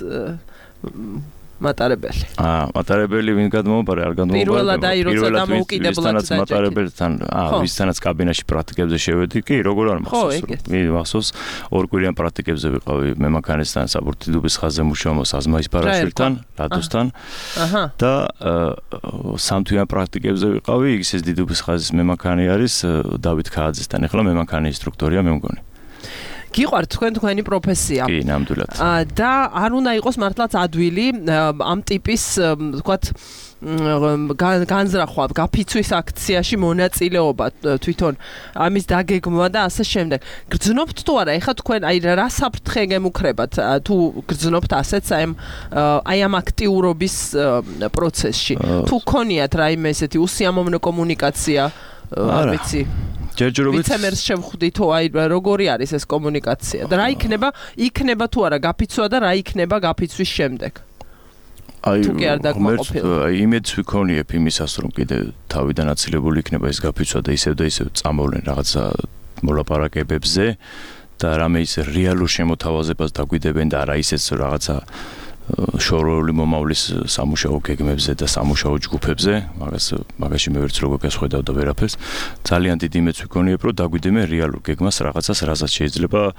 მატარებელი. მატარებელი ვინ გადმოაბარა, არ გადმოაბარა. პირველად აი როცა დამოუკიდებლად დაჭერით. მატარებელთან, ვისთანაც კაბინაში პრაქტიკებზე შევედი, კი, როგორ არ მახსოვს. მახსოვს, ორ კვირიან პრაქტიკებზე ვიყავი მემანქანისთან, საბურთიდობის ხაზზე მუშაობ საზმაის ბარაშვილთან, რადოსთან. და 3 თვიან პრაქტიკებზე ვიყავი, ისეს დიდობის ხაზის მემანქანი არის დავით ქააძესთან. ეხლა მემანქანი ინსტრუქტორია, მე მგონი. გიყვართ თქვენი პროფესია. კი, ნამდვილად. და არ უნდა იყოს მართლაც ადვილი ამ ტიპის, ვთქვათ, განზრახვა, გაფიცვის აქციაში მონაწილეობა თვითონ ამის დაგეგმვა და ასე შემდეგ. გრძნობთ თუ არა? ეხლა თქვენ აი რა საფრთხე გემუქრებათ თუ გრძნობთ ასეც აი ამ აქტიურობის პროცესში? თუ გქონიათ რაიმე ესეთი უსიამოვნო კომუნიკაცია, არ ვიცი. ჯერჯერობით ვიცემერს შევხვდით თუ აი როგორი არის ეს კომუნიკაცია და რა იქნება თუ არა გაფიცვა და რა იქნება გაფიცვის შემდეგ? თუ კი არ დაკმაყოფილდა. იმედს ვიქონიებ იმისას რომ კიდე თავიდან აცილებული იქნება ეს გაფიცვა და ისევ წამოვლენ რაღაცა მოლაპარაკებებზე და რამე ის რეალურ შემოთავაზებას დაგვიდებენ და არა ისეც რაღაცა შორეული მომავლის სამუშაო გეგმებზე და სამუშაო ჯგუფებზე, მაგაში მე ვერც როგორ გასხვედავ და ვერაფერს. ძალიან დიდი იმედს ვიქონიებ, რომ დაგვიდებენ რეალურ გეგმას რაღაცას, რასაც შეიძლება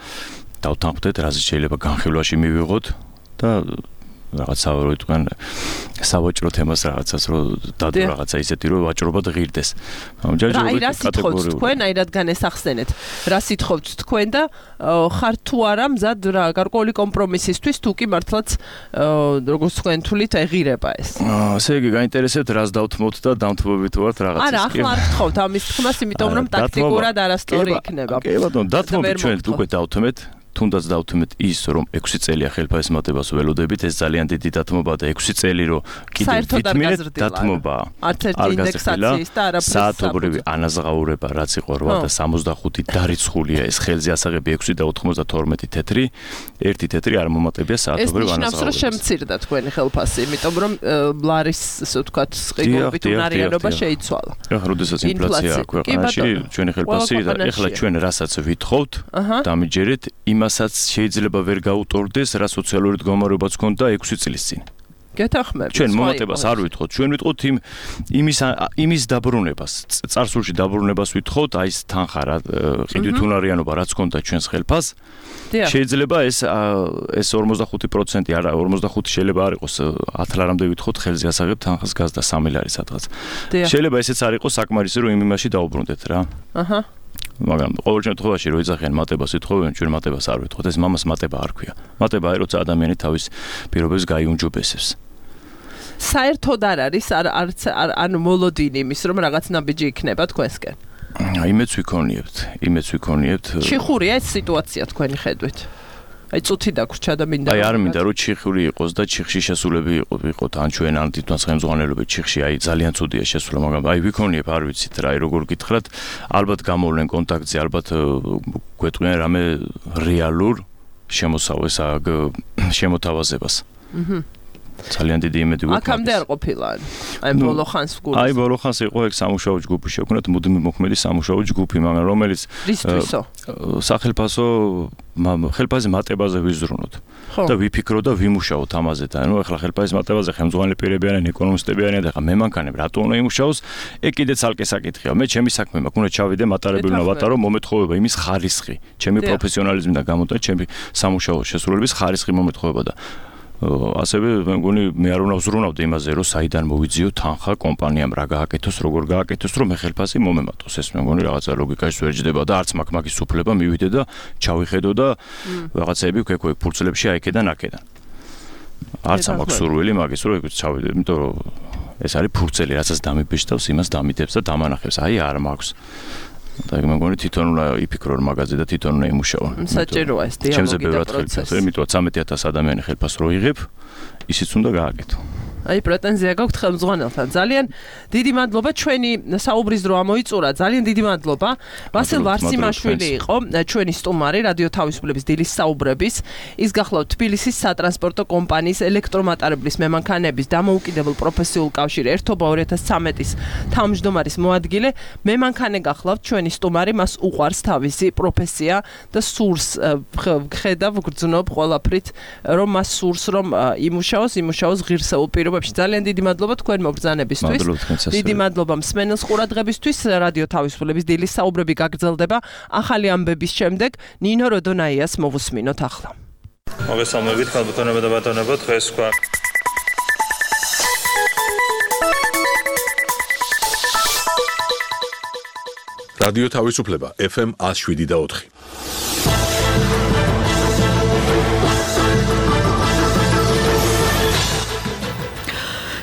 დავთანხმდეთ, რასაც შეიძლება განხილვაში მივიღოთ და რაღაც სავაჭრო თემას რაღაცას რომ დადო რაღაცა ისეთი რომ ვაჭრობა ღირდეს. აი რა სიტყვით თქვენ, აი რადგან ესახსენეთ. რა სიტყვით თქვენ და ხარ თუ არა მზად რა გარკვეული კომპრომისისთვის თუ კი მართლაც როგორც თქვენ თulit ეღირება ეს. ასე იგი გაინტერესებთ რას დავთმოთ და დამთმობებით ვართ რაღაცას. არა, ახლა არ გთხოვთ ამის თქმას, იმიტომ რომ ტაქტიკურად არასწორი იქნება. კი ბატონო, დათმობთ ჩვენ უკვე დავთმეთ. თუნდაც დავთმეთ ის რომ 6 წელია ხელფასის მატებას ველოდებით, ეს ძალიან დიდი დათმობა და 6 წელი რომ კიდევ ვიტმინეთ დათმობა. არც ერთი ინდექსაციის და არაფრის საათობრივი ანაზღაურება რაც იყო 8.65 დარიცხულია ეს ხელზე ასაღები 6 და 92 თეთრი, ერთი თეთრი არ მომატებია საათობრივ ანაზღაურებას. ეს ნიშნავს რომ შემცირდა თქვენი ხელფასი, იმიტომ რომ ბლარის ასე ვთქვათ სყიდულობით უნარიანობა შეიცვალა. ეხლა როდესაც ინფლაცია ქვეყანაში ჩვენი ხელფასი და ეხლა ჩვენ რასაც ვითხოვთ, დამიჯერეთ იმასაც შეიძლება ვერ გაუტოლდეს რა სოციალური მდგომარეობაც ქონდა 6 წლის წინ. გეთახმებით. ჩვენ მომატებას არ ვითხოვთ, ჩვენ ვითხოვთ იმის დაბრუნებას, წარსულში დაბრუნებას ვითხოვთ, აი ეს თანხა რა ყიდვით უნარიანობა რაც ქონდა ჩვენს ხელფასს. შეიძლება ეს 45% არა 45 შეიძლება არ იყოს 10 ლარამდე ვითხოვთ ხელზე ასაღებ თანხას გაზდა 3 ლარი სადღაც. შეიძლება ესეც არ იყოს საკმარისი რომ იმ იმაში დაუბრუნდეთ რა. მაგრამ ყოველ შემთხვევაში რო იძახიან მატებას ვითხოვენ, ჩვენ მატებას არ ვითხოვთ. ეს მამას მატება არ ქვია. მატება არის როცა ადამიანი თავის პირობებს გაიუმჯობესებს. საერთოდ არ არის ანუ მოლოდინი იმის რომ რაღაც ნაბიჯი იქნება თქვენსკენ. იმედს ვიქონიებთ. ჩიხურია ეს სიტუაცია თქვენი ხედვით. აი წუთი დაგვრჩა და მინდა აი არ მინდა რომ ჩიხური იყოს და ჩიხში შესულები იყოთ ან ჩვენ ან თვითონ ხელმძღვანელობით ჩიხში აი ძალიან ცუდია შესულა მაგრამ აი ვიქონიებ არ ვიცით რა აი როგორ გითხრათ ალბათ გამოვლენ კონტაქტზე ალბათ გვეტყვიან რამე რეალურ შემოთავაზებას ძალიან დიდი იმედი გვაქვს. აქამდე არ ყოფილა. აი ბოლო ხანს გულს. აი ბოლო ხანს იყო ეგ სამუშაო ჯგუფი შექმნათ, მუდმივი მოქმედი სამუშაო ჯგუფი, მაგრამ რომელიც რისთვისო? სახელფასო ხელფასის მატებაზე ვიზრუნოთ. და ვიფიქროთ და ვიმუშაოთ ამაზე და ნუ ახლა ხელფასის მატებაზე ხელმძღვანელი პირები არიან, ეკონომისტები არიან და ახლა მემანქანები რატო უნდა იმუშაოს? ეგ კიდე ცალკე საკითხია. მე ჩემი საქმე მაქვს, უნდა ჩავიდე მატარებელი უნდა ვატარო, მომეთხოვება იმის ხარისხი. ჩემი პროფესიონალიზმიდან გამომდინარე, ჩემი სამუშაო შესრულების ხარისხი მომეთხოვება და ასევე მე მგონი მე არ უნდა ვზრუნავდი იმაზე, რომ საიდან მოვიძიო თანხა კომპანიამ რა გააკეთოს, როგორ გააკეთოს, რომ მე ხელფასი მომემატოს. ეს მე მგონი რაღაცა ლოგიკაში ვერ ჯდება და არც მაქვს მაგის უფლება მივიდე და ჩავიხედო და რაღაცები ვქექვე ფურცლებში აიქედან აქედან. არც მაქვს სურვილი მაგის რომ ჩავიდე, იმიტომ რომ ეს არის ფურცელი, რასაც დამიბეჭდავს, იმას დამიდებს და დამანახებს. აი არ მაქვს. და მე მგონი თვითონ უნდა იფიქრო რომ მაგაზე და თვითონ უნდა იმუშაო. საჭიროა ეს დიალოგი და პროცესი. იმიტომ 13,000 ადამიანი ხელფასს რო იღებ, ისიც უნდა გააკეთო. აი პრეტენზია გაქვთ ხელმძღვანელთან. ძალიან დიდი მადლობა ჩვენი საუბრის დრო ამოიწურა. ძალიან დიდი მადლობა. ვასილ ვარსიმაშვილი იყო ჩვენი სტუმარი რადიო თავისუფლების დილის საუბრების. ის გახლავთ თბილისის სატრანსპორტო კომპანიის ელექტრომატარებლის მემანქანების დამოუკიდებელ პროფესიულ კავშირ ერთობა 2013-ის თავმჯდომარის მოადგილე. მემანქანე გახლავთ ჩვენი სტუმარი, მას უყვარს თავისი პროფესია და სურს ხედავ გრძნობ ყველაფრით რომ მას სურს რომ იმუშაოს ღირსეულ პირობებში. ძალიან დიდი მადლობა თქვენ მობრძანებისთვის. დიდი მადლობა მსმენელს ყურადღებისთვის. რადიო თავისუფლების დილის საუბრები გაგრძელდება ახალი ამბების შემდეგ. ნინო როდონაიას მოვუსმინოთ ახლა. მოგესალმებით ქალბატონებო და ბატონებო, დღეს თქვა რადიო თავისუფლება FM 107.4.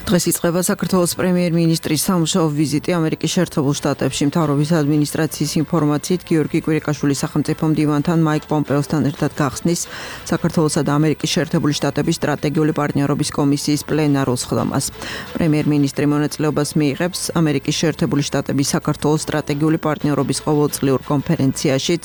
დღეს იწყება საქართველოს პრემიერ-მინისტრის სამუშაო ვიზიტი ამერიკის შეერთებულ შტატებში. მთავრობის ადმინისტრაციის ინფორმაციით, გიორგი კვირიკაშვილის სახელმწიფო მდივანთან მაიკ პომპეოსთან ერთად გახსნის საქართველოსა და ამერიკის შეერთებული შტატების სტრატეგიული პარტნიორობის კომისიის პლენარულ სხდომას. პრემიერ-მინისტრი მონაწილეობას მიიღებს ამერიკის შეერთებული შტატების საქართველოს სტრატეგიული პარტნიორობის ყოველწლიურ კონფერენციაშიც,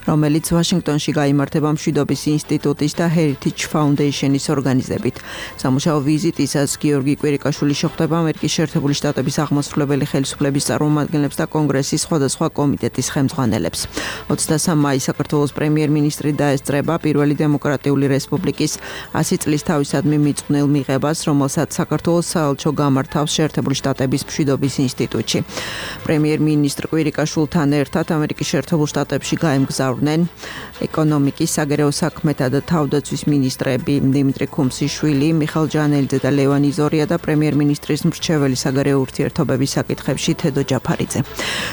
რომელიც ვაშინგტონში გაიმართება მშვიდობის ინსტიტუტის და Heritage Foundation-ის ორგანიზებით. სამუშაო ვიზიტისას გიორგი კვირიკაშვილი შეხვდება ამერიკის შეერთებული შტატების აღმასრულებელი ხელისუფლების წარმომადგენლებს და კონგრესის სხვადასხვა კომიტეტის ხელმძღვანელებს. 23 მაისს საქართველოს პრემიერ-მინისტრი დაესწრება პირველი დემოკრატიული რესპუბლიკის 100 წლის თავისადმი მიძღვნილ მიღებას, რომელსაც საქართველოს საელჩო გამართავს შეერთებული შტატების მშვიდობის ინსტიტუტში. პრემიერ-მინისტრ კვირიკაშვილთან ერთად ამერიკის შეერთებულ შტატებში გაემგზავრნენ ეკონომიკის, საგარეო საქმეთა და თავდაცვის მინისტრები დიმიტრი ქუმსიშვილი, მიხელ ჯანელიძე და ლევან იზორია და პრემიერ-მინისტრის მრჩეველი საგარეო ურთიერთობების საკითხებში თედო ჯაფარიძე.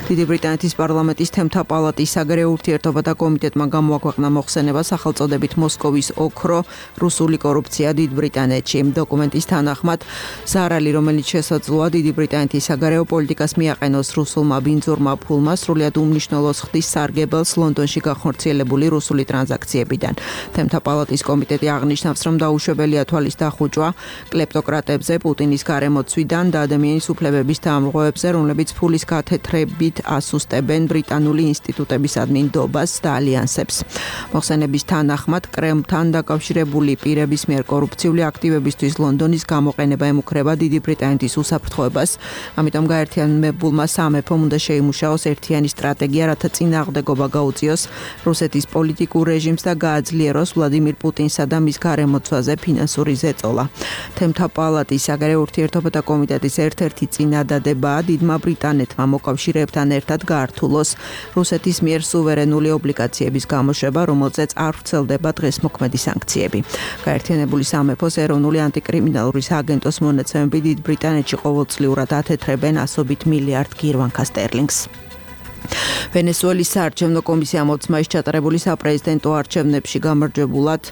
დიდი ბრიტანეთის პარლამენტის თემთა პალატის საგარეო ურთიერთობათა კომიტეტმა გამოაქვეყნა მოხსენება სახელწოდებით მოსკოვის ოქრო, რუსული კორუფცია დიდ ბრიტანეთში. დოკუმენტის თანახმად, ზარალი, რომელიც შესაძლოა დიდი ბრიტანეთის საგარეო პოლიტიკას მიაყენოს რუსულმა ბინძურმა ფულმა, სრულიად უმნიშვნელოს ხდის სარგებელს ლონდონში გახორციელებული რუსული ტრანზაქციებიდან. თემთა პალატის კომიტეტი აღნიშნავს, რომ დაუშვებელია თვალის დახუჭვა კლეპტოკრატებზე, პუტინის გარემოცვიდან და ადამიანის უფლებების დამრღვევებზე, რომლებიც ფულის გათეთრებით ასუსტებენ ბრიტანული ინსტიტუტებისადმი ნდობას და ალიანსებს. მოხსენების თანახმად, კრემლთან დაკავშირებული პირების მიერ კორუფციული აქტივებისთვის ლონდონის გამოყენება ემუქრება დიდი ბრიტანეთის უსაფრთხოებას. ამიტომ გაერთიანებულმა სამეფომ უნდა შეიმუშაოს ერთიანი სტრატეგია, რათა წინააღმდეგობა გაუწიოს რუსეთის პოლიტიკურ რეჟიმს და გააძლიეროს ვლადიმირ პუტინსა და მის გარემოცვაზე ფინანსური ზეწოლა. თემთა პალატის საგარეო ურთიერთობათა კომიტეტის ერთ-ერთი წინადადებაა დიდმა ბრიტანეთმა მოკავშირეებთან ერთად გაართულოს რუსეთის მიერ სუვერენული ობლიგაციების გამოშვება, რომელზეც არ ვრცელდება დღესმოქმედი სანქციები. გაერთიანებული სამეფოს ეროვნული ანტიკრიმინალური სააგენტოს მონაცემები დიდ ბრიტანეთში ყოველწლიურად ათეთრებენ ასობით მილიარდ გირვანქა სტერლინგს. ვენესუელის საარჩევნო კომისიამ 20 მაისს ჩატარებული საპრეზიდენტო არჩევნებში გამარჯვებულად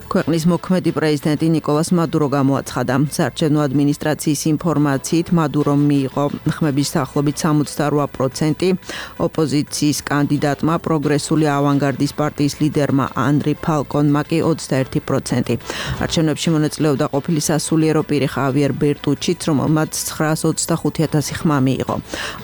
ქვეყნის მოქმედი პრეზიდენტი ნიკოლას მადურო გამოაცხადა. საარჩევნო ადმინისტრაციის ინფორმაციით მადურომ მიიღო ხმების დაახლოებით 68%, ოპოზიციის კანდიდატმა პროგრესული ავანგარდის პარტიის ლიდერმა ანრი ფალკონმა კი 21%. არჩევნებში მონაწილეობდა ყოფილი სასულიერო პირი ხავიერ ბერტუჩიც, რომელმაც 925,000 ხმა მიიღო.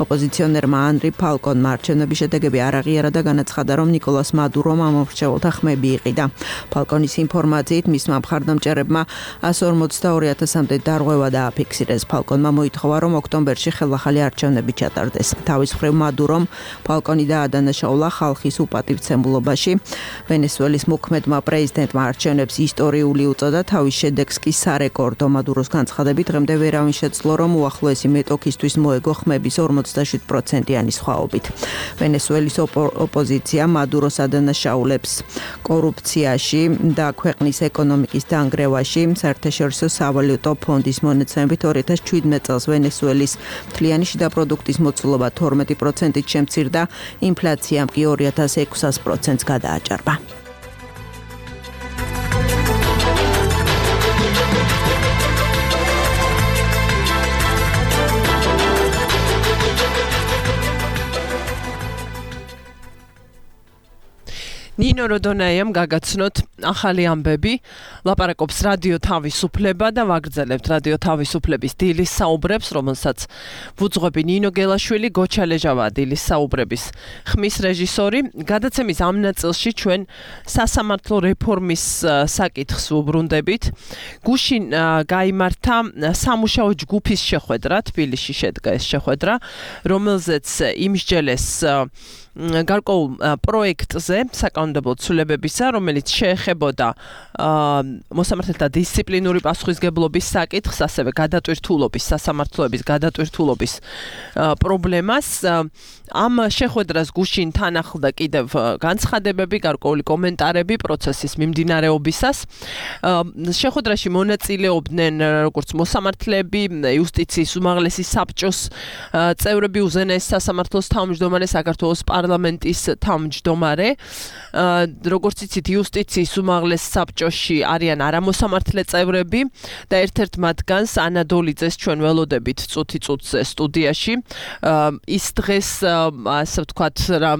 ოპოზიციონერმა ანრი ფალკონმა არჩევნების შედეგები არ აღიარა და განაცხადა, რომ ნიკოლას მადურომ ამომრჩეველთა ხმები იყიდა. ფალკონის ინფორმაციით მისმა მხარდამჭერებმა 142,000-მდე დარღვევა დააფიქსირეს. ფალკონმა მოითხოვა, რომ ოქტომბერში ხელახალი არჩევნები ჩატარდეს. თავის მხრივ მადურომ ფალკონი დაადანაშაულა ხალხის უპატივცემულობაში. ვენესუელის მოქმედმა პრეზიდენტმა არჩევნებს ისტორიული უწოდა, თავის შედეგს კი სარეკორდო. მადუროს განცხადებით, დღემდე ვერავინ შეძლო, რომ უახლოესი მეტოქისთვის მოეგო ხმების 47%-იანი სხვაობით. ვენესუელის ოპოზიცია მადუროს ადანაშაულებს კორუფციაში და ქვეყნის ქვეყნის ეკონომიკის დანგრევაში. საერთაშორისო სავალუტო ფონდის მონაცემებით 2017 წელს ვენესუელის მთლიანი შიდა პროდუქტის მოცულობა 12%-ით შემცირდა, ინფლაციამ კი 2600%-ს გადააჭარბა. ნინო როდონაიამ გაგაცნოთ ახალი ამბები, ლაპარაკობს რადიო თავისუფლება და ვაგრძელებთ რადიო თავისუფლების დილის საუბრებს, რომელსაც ვუძღვები ნინო გელაშვილი, გოჩა ლეჟავა დილის საუბრების ხმის რეჟისორი. გადაცემის ამ ნაწილში ჩვენ სასამართლო რეფორმის საკითხს ვუბრუნდებით. გუშინ გაიმართა სამუშაო ჯგუფის შეხვედრა, თბილისში შედგა ეს შეხვედრა, რომელზეც იმსჯელეს გარკვეულ პროექტზე საკანონმდებლო ცვლილებებისა, რომელიც შეეხებოდა მოსამართლეთა დისციპლინური პასუხისმგებლობის საკითხს, ასევე გადატვირთულობის, სასამართლოების გადატვირთულობის პრობლემას. ამ შეხვედრას გუშინ თან ახლდა კიდევ განცხადებები, გარკვეული კომენტარები პროცესის მიმდინარეობისას. შეხვედრაში მონაწილეობდნენ როგორც მოსამართლეები, იუსტიციის უმაღლესი საბჭოს წევრები, უზენაეს სასამართლოს თავმჯდომარე, საქართველოს პარლამენტის თავმჯდომარე. როგორც იცით, იუსტიციის უმაღლეს საბჭოში არიან არამოსამართლე წევრები და ერთ-ერთ მათგანს ანადოლიძეს ჩვენ ველოდებით წუთი-წუთზე სტუდიაში. ის დღეს ასე ვთქვათ,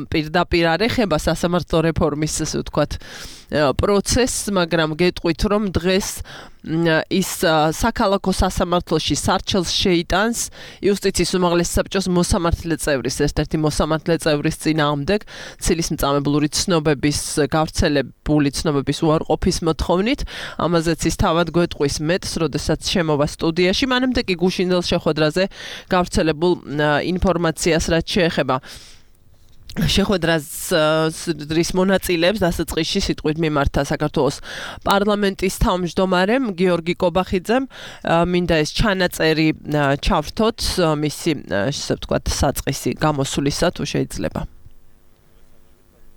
პირდაპირ არ ეხება სასამართლო რეფორმის ასე ვთქვათ პროცესს, მაგრამ გეტყვით, რომ დღეს ის საქალაქო სასამართლოში სარჩელს შეიტანს იუსტიციის უმაღლეს საბჭოს მოსამართლე წევრის, ერთ-ერთი მოსამართლე წევრის წინააღმდეგ ცილისმწამებლური ცნობების გავრცელებული ცნობების უარყოფის მოთხოვნით. ამაზეც ის თავად გვეტყვის მეტს, როდესაც შემოვა სტუდიაში. მანამდე კი გუშინდელ შეხვედრაზე გავრცელებულ ინფორმაციას რაც შეეხება შეხვედრის მონაწილეებს დასაწყისში სიტყვით მიმართა საქართველოს პარლამენტის თავმჯდომარემ გიორგი კობახიძემ. მინდა ეს ჩანაწერი ჩავრთოთ მისი ასე ვთქვათ საწყისი გამოსვლისა, თუ შეიძლება.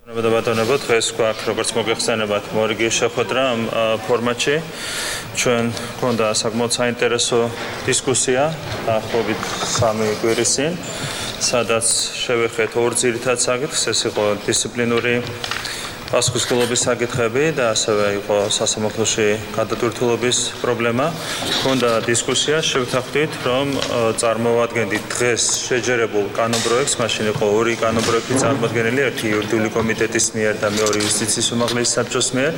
ბატონებო, დღეს გვაქვს როგორც მოგეხსენებათ მორიგი შეხვედრა ამ ფორმატში. ჩვენ გქონდა საკმაოდ საინტერესო დისკუსია დაახლოებით 3 კვირის წინ, სადაც შევეხეთ ორ ძირითად საკითხს, ეს იყო დისციპლინური პასუხისმგებლობის საკითხები და ასევე იყო სასამართლოში გადატვირთულობის პრობლემა. გქონდა დისკუსია, შევთანხმდით, რომ წარმოვადგენდით დღეს შეჯერებულ კანონპროექტს, მაშინ იყო ორი კანონპროექტი წარმოდგენილი, ერთი იურიდიული კომიტეტის მიერ და მეორე იუსტიციის უმაღლესი საბჭოს მიერ.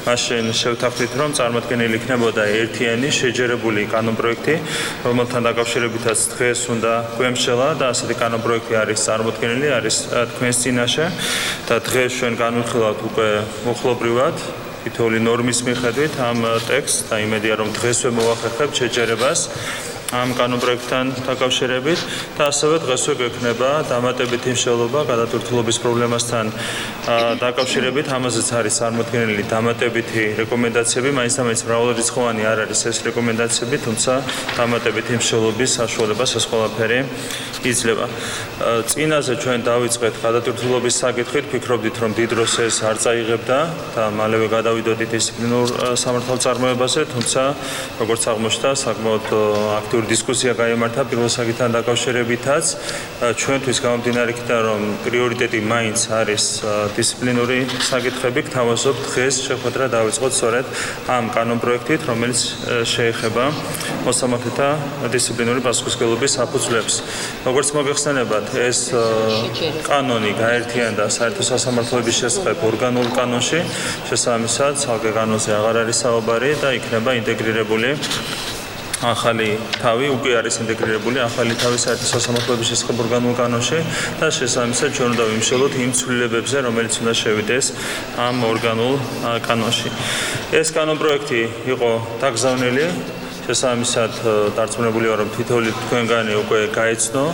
მაშინ შევთანხმდით, რომ წარმოდგენილი იქნებოდა ერთიანი შეჯერებული კანონპროექტი, რომელთან დაკავშირებითაც დღეს უნდა გვემშელა და ასეთი კანონპროექტი არის წარმოდგენილი, არის თქვენს წინაშე და დღეს ჩვენ განვიხილავთ უკვე მოხლობრივად თითოეული ნორმის მიხედვით ამ ტექსტს და იმედია რომ დღესვე მოვახერხებთ შეჯერებას ამ კანონპროექტთან დაკავშირებით და ასევე დღესვე გვექნება დამატებითი მსჯელობა გადატვირთულობის პრობლემასთან დაკავშირებით. ამაზეც არის წარმოდგენილი დამატებითი რეკომენდაციები, მაინც მრავალრიცხოვანი არ არის ეს რეკომენდაციები, თუმცა დამატებითი მსჯელობის საშუალებას ეს ყველაფერი იძლევა. წინაზე ჩვენ დავიწყეთ გადატვირთულობის საკითხით, ფიქრობდით რომ დიდ დროს ეს არ წაიღებდა და მალევე გადავიდოდით დისციპლინურ სამართალწარმოებაზე, თუმცა როგორც აღმოჩნდა, საკმაოდ აქტიური დისკუსია გაიმართა პირველ საკითხთან დაკავშირებითაც. ჩვენთვის გამომდინარე იქიდან რომ პრიორიტეტი მაინც არის დისციპლინური საკითხები, გთავაზობთ დღეს შეხვედრა დავიწყოთ სწორედ ამ კანონპროექტით, რომელიც შეეხება მოსამართლეთა დისციპლინური პასუხისმგებლობის საფუძვლებს. როგორც მოგეხსენებათ, ეს კანონი გაერთიანდა საერთო სასამართლოების შესახებ ორგანულ კანონში, შესაბამისად, ცალკე კანონზე აღარ არის საუბარი და იქნება ინტეგრირებული ახალი თავი, უკვე არის ინტეგრირებული ახალი თავი საერთო სასამართლოების შესახებ ორგანულ კანონში და შესაბამისად ჩვენ უნდა ვიმსჯელოთ იმ ცვლილებებზე, რომელიც უნდა შევიდეს ამ ორგანულ კანონში. ეს კანონპროექტი იყო დაგზავნილი, შესაბამისად დარწმუნებული ვარ, რომ თითოეული თქვენგანი უკვე გაეცნო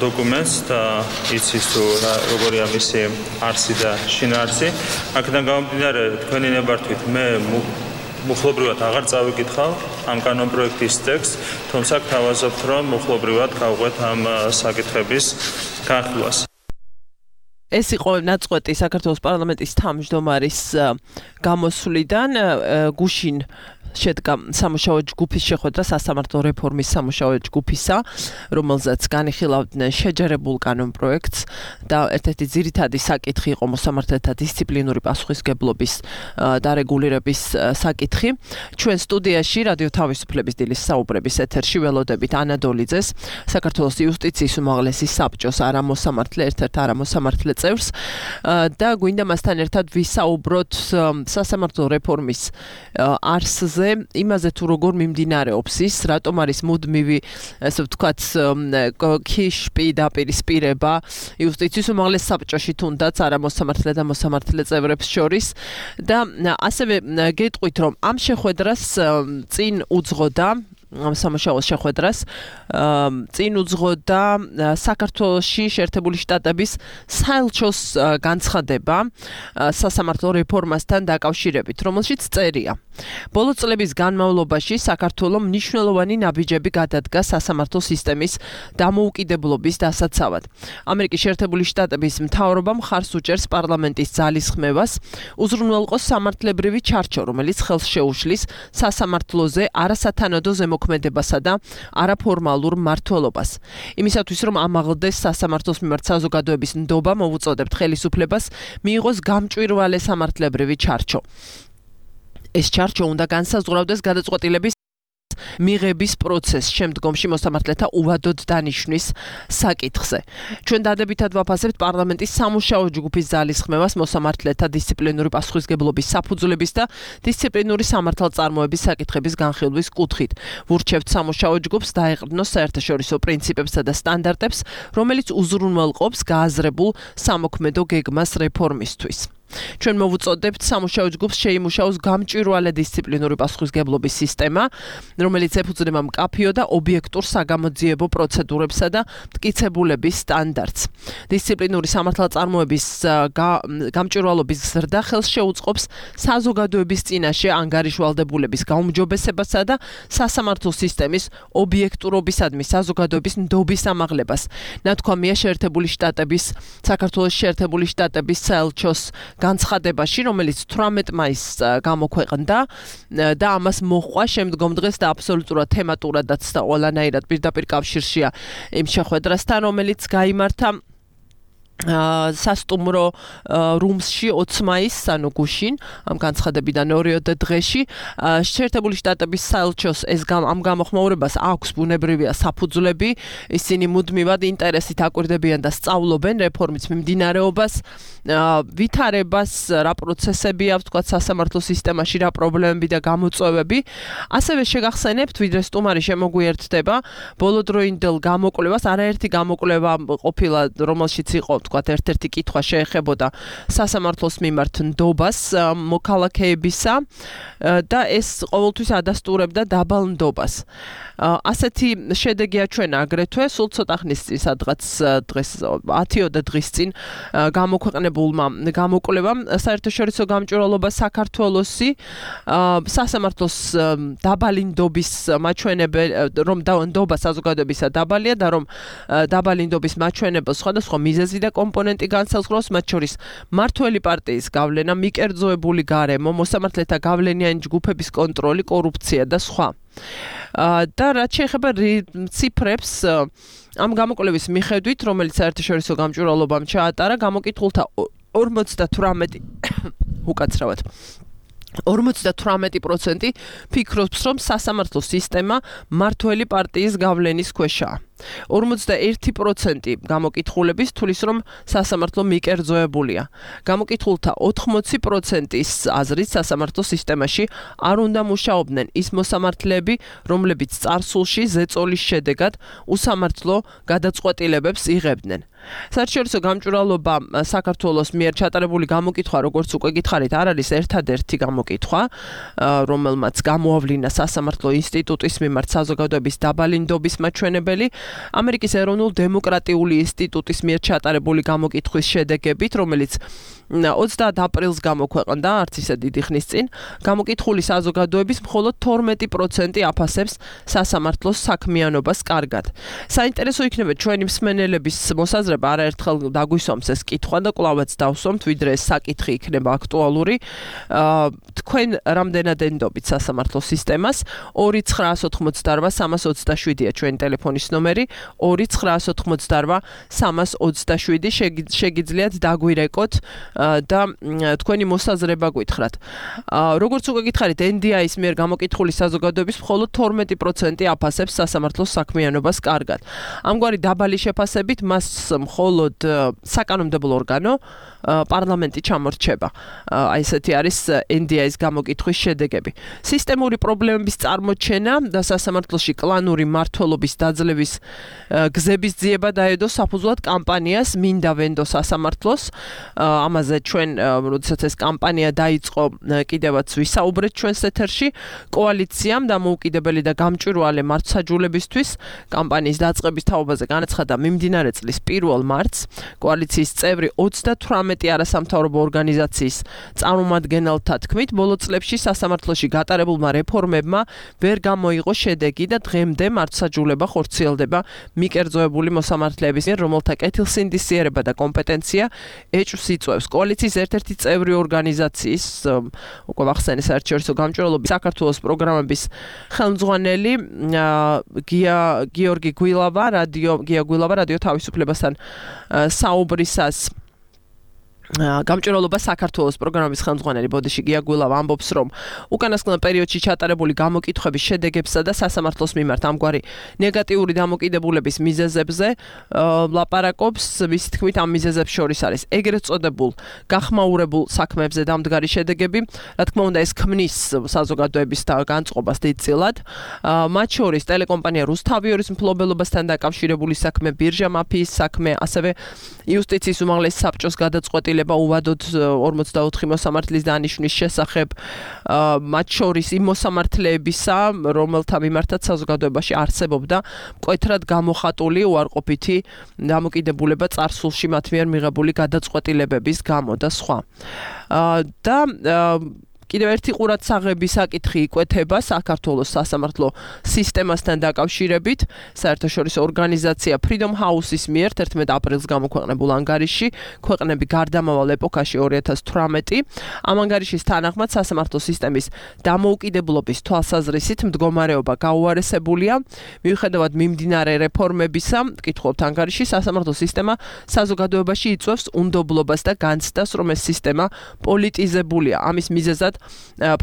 დოკუმენტს და იცის თუ როგორია მისი არსი და შინაარსი. აქედან გამომდინარე, თქვენი ნებართვით მე მუხლობრივად აღარ წავიკითხავ ამ კანონპროექტის ტექსტს, თუმცა გთავაზობთ, რომ მუხლობრივად გავყვეთ ამ საკითხების განხილვას. ეს იყო ნაწყვეტი საქართველოს პარლამენტის თავმჯდომარის გამოსვლიდან გუშინ შედგა სამუშაო ჯგუფის შეხვედრა სასამართლო რეფორმის სამუშაო ჯგუფისა, რომელზეც განიხილავდნენ შეჯერებულ კანონპროექტს და ერთ-ერთი ძირითადი საკითხი იყო მოსამართლეთა დისციპლინური პასუხისმგებლობის დარეგულირების საკითხი. ჩვენ სტუდიაში რადიო თავისუფლების დილის საუბრების ეთერში ველოდებით ანა დოლიძეს, საქართველოს იუსტიციის უმაღლესი საბჭოს არამოსამართლე, ერთ-ერთ არამოსამართლე წევრს და გვინდა მასთან ერთად ვისაუბროთ სასამართლო რეფორმის არსზე, იმაზე თუ როგორ მიმდინარეობს ის, რატომ არის მუდმივი, ასე ვთქვათ, ქიშპი დაპირისპირება იუსტიციის უმაღლეს საბჭოში თუნდაც არამოსამართლე და მოსამართლე წევრებს შორის და ასევე გეტყვით, რომ ამ შეხვედრას წინ უძღოდა ამ სამუშაოს შეხვედრას წინ უძღოდა საქართველოში შეერთებული შტატების საელჩოს განცხადება სასამართლო რეფორმასთან დაკავშირებით, რომელშიც წერია. ბოლო წლების განმავლობაში საქართველომ მნიშვნელოვანი ნაბიჯები გადადგა სასამართლო სისტემის დამოუკიდებლობის დასაცავად. ამერიკის შეერთებული შტატების მთავრობამ მხარს უჭერს პარლამენტის ძალისხმევას უზრუნველყოს სამართლებრივი ჩარჩო, რომელიც ხელს შეუშლის სასამართლოზე არასათანადო ზემოქმედებასა და არაფორმალურ მმართველობას. იმისათვის, რომ ამაღლდეს სასამართლოს მიმართ საზოგადოების ნდობა, მოვუწოდებთ ხელისუფლებას მიიღოს გამჭვირვალე სამართლებრივი ჩარჩო. ეს ჩარჩო უნდა განსაზღვრავდეს გადაწყვეტილების მიღების პროცესს, შემდგომში მოსამართლეთა უვადოდ დანიშვნის საკითხზე. ჩვენ დადებითად ვაფასებთ პარლამენტის სამუშაო ჯგუფის ძალისხმევას მოსამართლეთა დისციპლინური პასუხისმგებლობის საფუძვლების და დისციპლინური სამართალწარმოების საკითხების განხილვის კუთხით. ვურჩევთ სამუშაო ჯგუფს დაეყრდნოს საერთაშორისო პრინციპებსა და სტანდარტებს, რომელიც უზრუნველყოფს გააზრებულ სამოქმედო გეგმას რეფორმისთვის. ჩვენ მოვუწოდებთ სამუშაო ჯგუფს შეიმუშაოს გამჭვირვალე დისციპლინური პასუხისმგებლობის სისტემა, რომელიც ეფუძნება მკაფიო და ობიექტურ საგამოძიებო პროცედურებსა და მტკიცებულების სტანდარტს. დისციპლინური სამართალწარმოების გამჭვირვალობის ზრდა ხელს შეუწყობს საზოგადოების წინაშე ანგარიშვალდებულების გაუმჯობესებასა და სასამართლო სისტემის ობიექტურობისადმი საზოგადოების ნდობის ამაღლებას. ნათქვამია საქართველოს შეერთებული შტატების საელჩოს განცხადებაში, რომელიც 18 მაისს გამოქვეყნდა და ამას მოჰყვა შემდგომ დღეს და აბსოლუტურად თემატურადაც და ყველანაირად პირდაპირ კავშირშია იმ შეხვედრასთან, რომელიც გაიმართა სასტუმრო რუმსში 20 მაისს, ანუ გუშინ, ამ განცხადებიდან 2 დღეში, შეერთებული შტატების საელჩოს ამ გამოხმაურებას აქვს ბუნებრივია საფუძვლები, ისინი მუდმივად ინტერესით აკვირდებიან და სწავლობენ რეფორმის მიმდინარეობას, ვითარებას, რა პროცესები აქვს, თქვა სასამართლო სისტემაში, რა პრობლემები და გამოწვევები. ასევე შეგახსენებთ, ვიდრე სტუმარი შემოგვიერთდება, ბოლოდროინდელ გამოკვლევას, არაერთი გამოკვლევა ყოფილა, რომელშიც იყო თქვათ ერთ-ერთი კითხვა შეეხებოდა სასამართლოს მიმართ ნდობას მოქალაქეებისა და ეს ყოველთვის ადასტურებდა დაბალ ნდობას. ასეთი შედეგია ჩვენ აგრეთვე სულ ცოტა ხნის წინ, სადღაც დღეს 10 დღის წინ გამოქვეყნებულმა გამოკვლევამ საერთაშორისო გამჭვირვალობა საქართველოსი სასამართლოს დაბალი ნდობის მაჩვენებელი, რომ ნდობა საზოგადოებისა დაბალია და რომ დაბალი ნდობის მაჩვენებელს სხვადასხვა მიზეზი და კომპონენტი განსაზღვრავს, მათ შორის მმართველი პარტიის გავლენა, მიკერძოებული გარემო, მოსამართლეთა გავლენიანი ჯგუფების კონტროლი, კორუფცია და სხვა. და რაც შეეხება ციფრებს, ამ გამოკვლევის მიხედვით, რომელიც საერთაშორისო გამჭვირვალობამ ჩაატარა, გამოკითხულთა 58% ფიქრობს, რომ სასამართლო სისტემა მმართველი პარტიის გავლენის ქვეშაა. 41% გამოკითხულების თulis, რომ სასამართლო მიკერძოებულია. გამოკითხულთა 80%-ის აზრით სასამართლო სისტემაში არ უნდა მუშაობდნენ ის მოსამართლეები, რომლებიც წარსულში ზეწოლის შედეგად უსამართლო გადაწყვეტილებებს იღებდნენ. საერთაშორისო გამჭვირვალობა საქართველოს მიერ ჩატარებული გამოკითხვა, როგორც უკვე გითხარით, არ არის ერთადერთი გამოკითხვა, რომელმაც გამოავლინა სასამართლო ინსტიტუტის მიმართ საზოგადოების დაბალი ნდობის მაჩვენებელი. ამერიკის ეროვნულ დემოკრატიული ინსტიტუტის მიერ ჩატარებული გამოკითხვის შედეგებით, რომელიც 30 აპრილს გამოქვეყნდა, არც ისე დიდი ხნის წინ, გამოკითხული საზოგადოების მხოლოდ 12% აფასებს სასამართლოს საქმიანობას კარგად. საინტერესო იქნება ჩვენი მსმენელების მოსაზრება, არაერთხელ დაგვისვამს ეს კითხვა და კვლავაც დავსვამთ, ვიდრე ეს საკითხი იქნება აქტუალური. თქვენ რამდენად ენდობით სასამართლო სისტემას? 2988-327-ია ჩვენი ტელეფონის ნომერი, 2988-327 შეგიძლიათ დაგვირეკოთ და თქვენი მოსაზრება გითხრათ. როგორც უკვე გითხარით, NDI-ის მიერ გამოკითხული საზოგადოების მხოლოდ 12% აფასებს სასამართლოს საქმიანობას კარგად. ამგვარი დაბალი შეფასებით მას მხოლოდ საკანონმდებლო ორგანო პარლამენტი ჩამორჩება. აი ესეთი არის NDI-ის გამოკითხვის შედეგები. სისტემური პრობლემების წარმოჩენა და სასამართლოში კლანური მმართველობის დაძლევის გზების ძიება დაედო საფუძვლად კამპანიას მინდა ვენდო სასამართლოს. ამაზე ჩვენ როდესაც ეს კამპანია დაიწყო, კიდევაც ვისაუბრეთ ჩვენს ეთერში, კოალიციამ დამოუკიდებელი და გამჭვირვალე მართლმსაჯულებისთვის კამპანიის დაწყების თაობაზე განაცხადა მიმდინარე წლის 1 მარტს. კოალიციის წევრი 38 არასამთავრობო ორგანიზაციის წარმომადგენელთა თქმით, ბოლო წლებში სასამართლოში გატარებულმა რეფორმებმა ვერ გამოიღო შედეგი და დღემდე მართლმსაჯულება ხორციელდება მიკერძოებული მოსამართლეების მიერ, რომელთა კეთილსინდისიერება და კომპეტენცია ეჭვს იწვევს. კოალიციის ერთ-ერთი წევრი ორგანიზაციის, უკვე ვახსენე საერთაშორისო გამჭვირვალობის საქართველოს პროგრამების ხელმძღვანელი გიორგი გვილავა, რადიო თავისუფლებასთან საუბრისას გამჭვირვალობა საქართველოს პროგრამის ხელმძღვანელი ბოდიში გია გვილავა ამბობს, რომ უკანასკნელ პერიოდში ჩატარებული გამოკითხვების შედეგებსა და სასამართლოს მიმართ ამგვარი ნეგატიური დამოკიდებულების მიზეზებზე ლაპარაკობს. მისი თქმით, ამ მიზეზებს შორის არის ეგრეთ წოდებულ გახმაურებულ საქმეებზე დამდგარი შედეგები, რა თქმა უნდა, ეს ქმნის საზოგადოების განწყობას დიდწილად. მათ შორის ტელეკომპანია რუსთავიორის მფლობელობასთან დაკავშირებული საქმე, ბირჟა მაფიის საქმე, ასევე იუსტიციის უმაღლესი საბჭოს გადაწყვეტილება უვადოდ 44 მოსამართლის დანიშვნის შესახებ, მათ შორის იმ მოსამართლეებისა, რომელთა მიმართაც საზოგადოებაში არსებობდა მკვეთრად გამოხატული უარყოფითი დამოკიდებულება წარსულში მათ მიერ მიღებული გადაწყვეტილებების გამო და სხვა. და კიდევ ერთი ყურადსაღები საკითხი იკვეთება საქართველოს სასამართლო სისტემასთან დაკავშირებით. საერთაშორისო ორგანიზაცია Freedom House-ის მიერ 11 აპრილს გამოქვეყნებულ ანგარიშში ქვეყნები გარდამავალ ეპოქაში 2018 ამ ანგარიშის თანახმად სასამართლო სისტემის დამოუკიდებლობის თვალსაზრისით მდგომარეობა გაუარესებულია. მიუხედავად მიმდინარე რეფორმებისა, კითხულობთ ანგარიში, სასამართლო სისტემა საზოგადოებაში იწვევს უნდობლობას და განცდას, რომ ეს სისტემა პოლიტიზებულია. ამის მიზეზად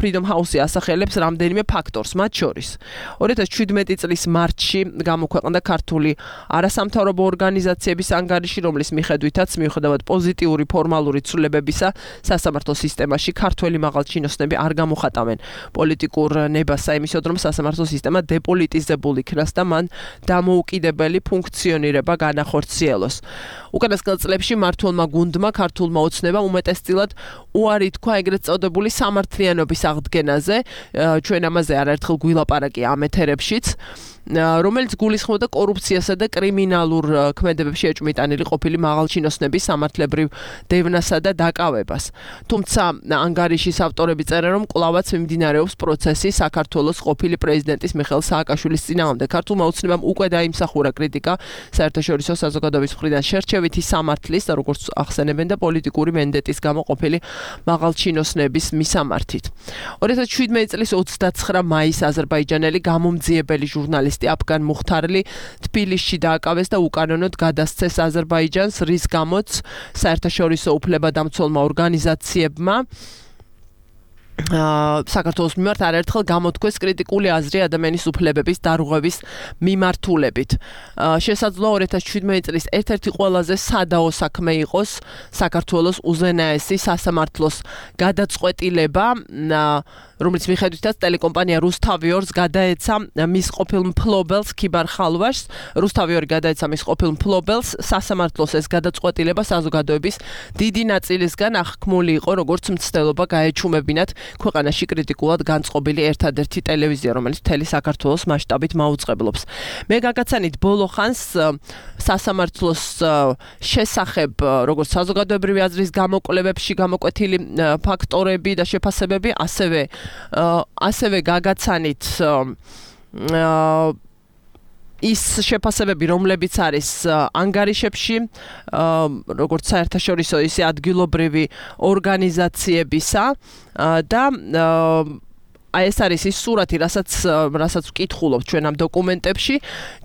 Freedom House-ი ასახელებს რამდენიმე ფაქტორს, მათ შორის 2017 წლის მარტში გამოქვეყნდა ქართული არასამთავრობო ორგანიზაციების ანგარიში, რომლის მიხედვითაც მიუხედავად პოზიტიური ფორმალური ცვლილებებისა, სასამართლო სისტემაში ქართველი მაღალჩინოსნები არ გამოხატავენ პოლიტიკურ ნებას, იმისოდ რომ სასამართლო სისტემა დეპოლიტიზებული იქნას და მან დამოუკიდებელი ფუნქციონირება განახორციელოს. უკანასკნელ წლებში მმართველმა გუნდმა ქართულმა ოცნებამ უმეტესწილად უარი თქვა ეგრეთ წოდებული სამართლიანობის აღდგენაზე, ჩვენ ამაზე არაერთხელ გვილაპარაკი ამ ეთერებშიც, რომელიც გულისხმობდა კორუფციასა და კრიმინალურ ქმედებებში ეჭვმიტანილი ყოფილი მაღალჩინოსნების სამართლებრივ დევნასა და დაკავებას. თუმცა ანგარიშის ავტორები წერენ, რომ კვლავაც მიმდინარეობს პროცესი საქართველოს ყოფილი პრეზიდენტის მიხეილ სააკაშვილის წინააღმდეგ. ქართულმა ოცნებამ უკვე დაიმსახურა კრიტიკა საერთაშორისო საზოგადოების მხრიდან შერჩევითი სამართლის და როგორც ახსენებენ და პოლიტიკური მენდეტის გამო ყოფილი მაღალჩინოსნების მისამართით. 2017 წლის 29 მაისს აზერბაიჯანელი გამომძიებელი ჟურნალისტი აფგან მუხთარლი თბილისში დააკავეს და უკანონოდ გადასცეს აზერბაიჯანს, რის გამოც საერთაშორისო უფლებადამცველმა ორგანიზაციებმა საქართველოს მიმართ არაერთხელ გამოთქვეს კრიტიკული აზრი ადამიანის უფლებების დარღვევის მიმართულებით. შესაძლოა 2017 წლის ერთ-ერთი ყველაზე სადაო საქმე იყოს საქართველოს უზენაესი სასამართლოს გადაწყვეტილება, რომელიც მიხედვითაც ტელეკომპანია რუსთავიორს გადაეცა მის ყოფილ მფლობელს ქიბარ ხალვაშს. რუსთავიორი გადაეცა მის ყოფილ მფლობელს სასამართლოს ეს გადაწყვეტილება საზოგადოების დიდი ნაწილისგან აღქმული იყო, როგორც მცდელობა გაეჩუმებინათ ქვეყანაში კრიტიკულად განწყობილი ერთადერთი ტელევიზია, რომელიც მთელი საქართველოს მასშტაბით მაუწყებლობს. მე გაგაცანით ბოლო ხანს სასამართლოს შესახებ, როგორც საზოგადოებრივი აზრის გამოკვლევებში გამოკვეთილი ფაქტორები და შეფასებები, ასევე გაგაცანით ის შეფასებები, რომლებიც არის ანგარიშებში, როგორც საერთაშორისო, ისე ადგილობრივი ორგანიზაციებისა და ეს არის ის სურათი, რასაც ვკითხულობთ ჩვენ ამ დოკუმენტებში.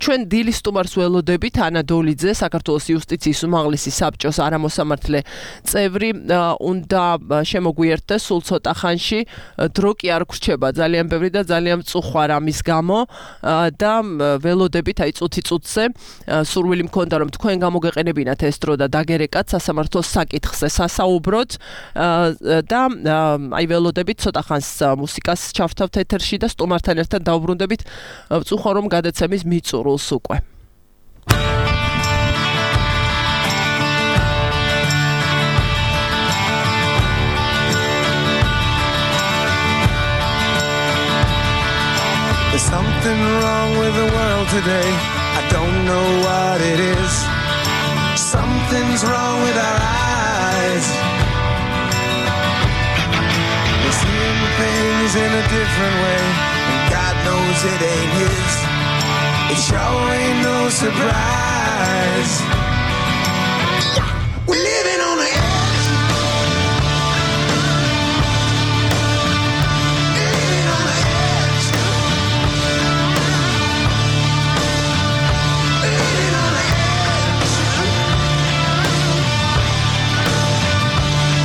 ჩვენ დილის სტუმარს ველოდებით ანა დოლიძე, საქართველოს იუსტიციის უმაღლესი საბჭოს არამოსამართლე წევრი, უნდა შემოგვიერთდეს სულ ცოტა ხანში. დრო კი არ გრჩება ძალიან ბევრი და ძალიან მწუხვარ ამის გამო და ველოდებით აი წუთი-წუთზე სურვილი მქონდა რომ თქვენ გამოგეყენებინათ ეს დრო და დაგერეკათ სასამართლოს საკითხზე სასაუბროთ და აი ველოდებით ცოტა ხანს მუსიკას ჩავთავთ ეთერში და სტუმართან ერთად დავბრუნდებით ვწუხარ რომ გადაცემის მიწურულს უკვე. There's something wrong with the world today. I don't know what it is. Something's wrong with our eyes. We're seeing things in a different way, and God knows it ain't his. It sure ain't no surprise. We're living on the edge. Living on the edge. Living on the edge.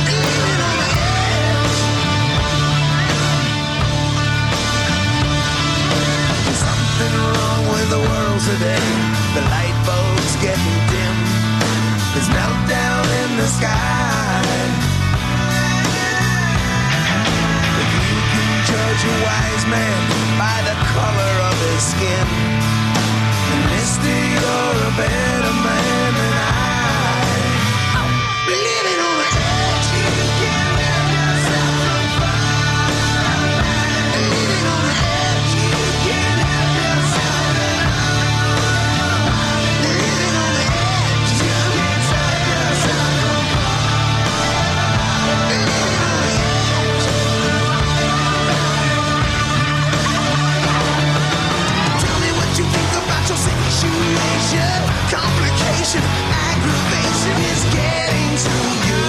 Living on the edge. There's something wrong with the world today. The light bulb's getting dim. There's meltdown in the sky. If you can judge a wise man by the color of his skin, then mister, you're a better man than I. Living on the edge, you can't let yourself on fire. Living on the edge, you can't help yourself at all. Living on the edge, you can't stop yourself from falling. Living on the edge. Tell me what you think about your situation. Complication, aggravation is getting to you.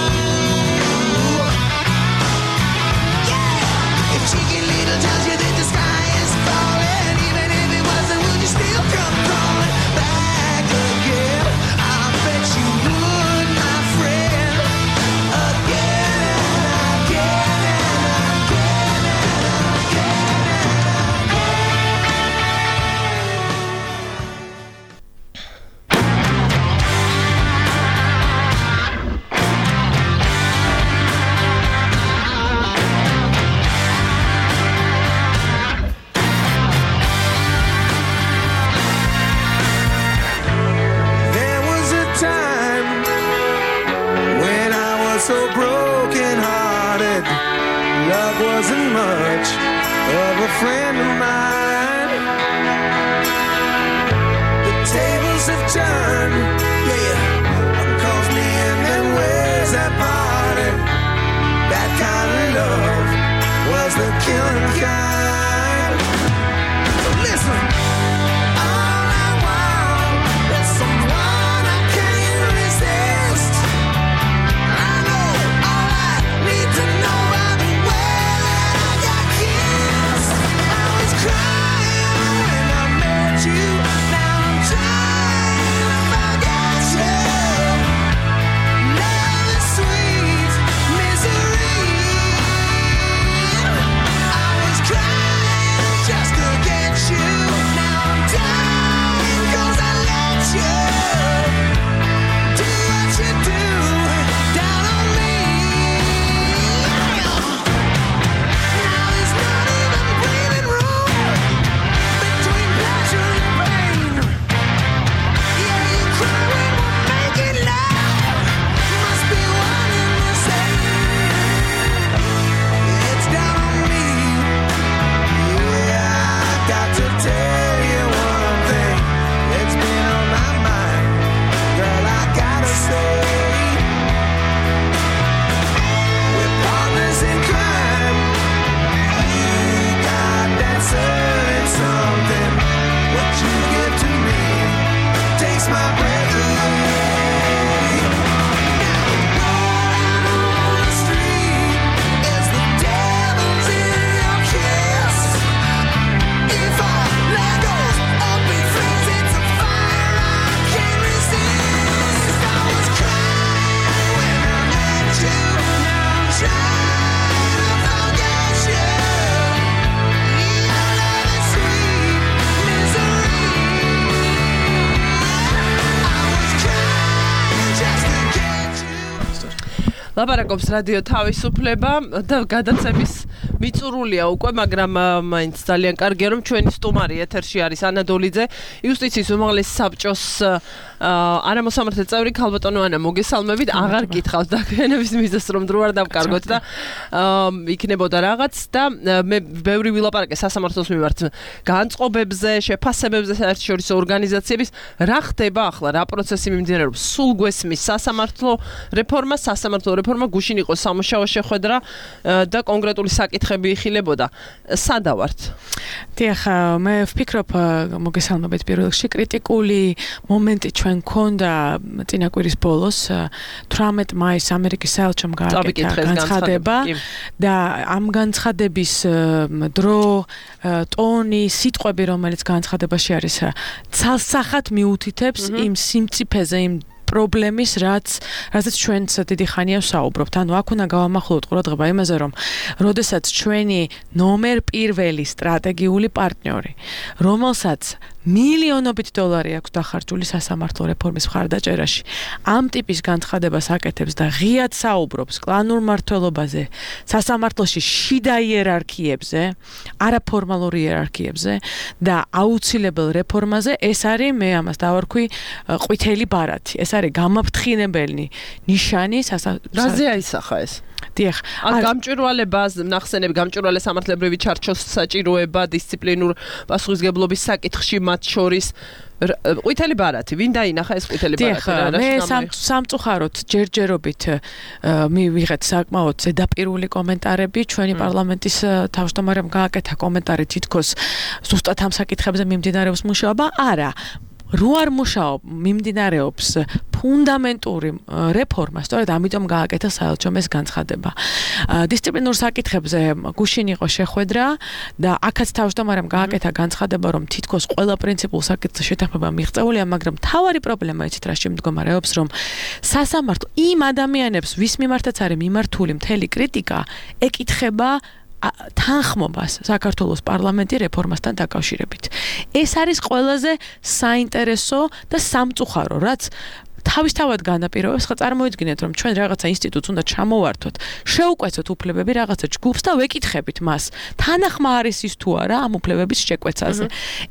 Yeah. If Chicken Little tells you that the sky is falling, even if it wasn't, would you still come crawling back again? I bet you would, my friend. Again and again and again and again and There was a time when I was so broken hearted. Love wasn't much of a friend of mine. The tables have turned, yeah. One calls me in and ways that parted. That kind of love was the killing kind. So listen. All I want is someone I can't resist. I know all I need to know are the way that I got kissed. I was crying when I met you. Now I'm trying to forget. ლაპარაკობს რადიო თავისუფლება და გადაცემის მიწურულია უკვე, მაგრამ მაინც ძალიან კარგია რომ ჩვენი სტუმარი ეთერში არის ანა დოლიძე, იუსტიციის უმაღლესი საბჭოს არამოსამართლე წევრი ქალბატონო ანა, მოგესალმებით. აღარ გითხავთ დაგვიანების მიზეზს რომ დრო არ დავკარგოთ და იქნებოდა რაღაც და მე ბევრი ვილაპარაკე სასამართლოს მიმართ განწყობებზე, შეფასებებზე, საერთაშორისო ორგანიზაციების. რა ხდება ახლა, რა პროცესი მიმდინარეობს? სულ გვესმის სასამართლო რეფორმა გუშინ იყო სამუშაო შეხვედრა და კონკრეტული საკითხები იხილებოდა. სადა ვართ? დიახ, მე ვფიქრობ, მოგესალმებით პირველ რიგში, კრიტიკული მომენტი ჩვენ გქონდა წინა კვირის ბოლოს 18 მაისს ამერიკის საელჩომ გააკეთა განცხადება და ამ განცხადების დრო, ტონი, სიტყვები, რომელიც განცხადებაში არის, ცალსახად მიუთითებს იმ სიმწიფეზე, იმ პრობლემის, რაზეც ჩვენც დიდი ხანია ვსაუბრობთ. ანუ აქ უნდა გავამახვილოთ ყურადღება იმაზე, რომ როდესაც ჩვენი ნომერ პირველი სტრატეგიული პარტნიორი, რომელსაც მილიონობით დოლარი აქვს დახარჯული სასამართლო რეფორმის მხარდაჭერაში, ამ ტიპის განცხადებას აკეთებს და ღიად საუბრობს კლანურ მმართველობაზე, სასამართლოში შიდა იერარქიებზე, არაფორმალურ იერარქიებზე და აუცილებელ რეფორმაზე, ეს არის, მე ამას დავარქვი, ყვითელი ბარათი. ეს არის გამაფრთხინებელი ნიშანი რაზე აისახა ეს? დიახ, გამჭვირვალებას ნახსენები, გამჭვირვალე სამართლებრივი ჩარჩოს საჭიროება დისციპლინურ პასუხისგებლობის საკითხში მათ შორის ყვითელი ბარათი, ვინ დაინახა ეს ყვითელი ბარათი? მე სამწუხაროდ ჯერჯერობით მივიღეთ საკმაოდ ზედაპირული კომენტარები, ჩვენი პარლამენტის თავმჯდომარემ გააკეთა კომენტარი თითქოს ზუსტად ამ საკითხებზე მიმდინარეობს მუშაობა. არა, რო არ მიმდინარეობს ფუნდამენტური რეფორმა, სწორედ ამიტომ გააკეთა საელჩომ ეს განცხადება. დისციპლინურ საკითხებზე გუშინ იყო შეხვედრა და აქაც თავმჯდომარემ გააკეთა განცხადება, რომ თითქოს ყველა პრინციპულ საკითხზე შეთანხმება მიღწეულია, მაგრამ მთავარი პრობლემა იცით რა შემდგომარეობს, რომ სასამართლო იმ ადამიანებს, ვის მიმართაც არის მიმართული მთელი კრიტიკა, ეკითხება თანხმობას საქართველოს პარლამენტი რეფორმასთან დაკავშირებით. ეს არის ყველაზე საინტერესო და სამწუხარო, რაც თავისთავად განაპირობებს, ხა წარმოიდგინეთ, რომ ჩვენ რაღაცა ინსტიტუტს უნდა ჩამოვართოთ, შევუკვეცოთ უფლებები რაღაცა ჯგუფს და ვეკითხებით მას, თანახმა არის ის თუ არა ამ უფლებების შეკვეცაზე.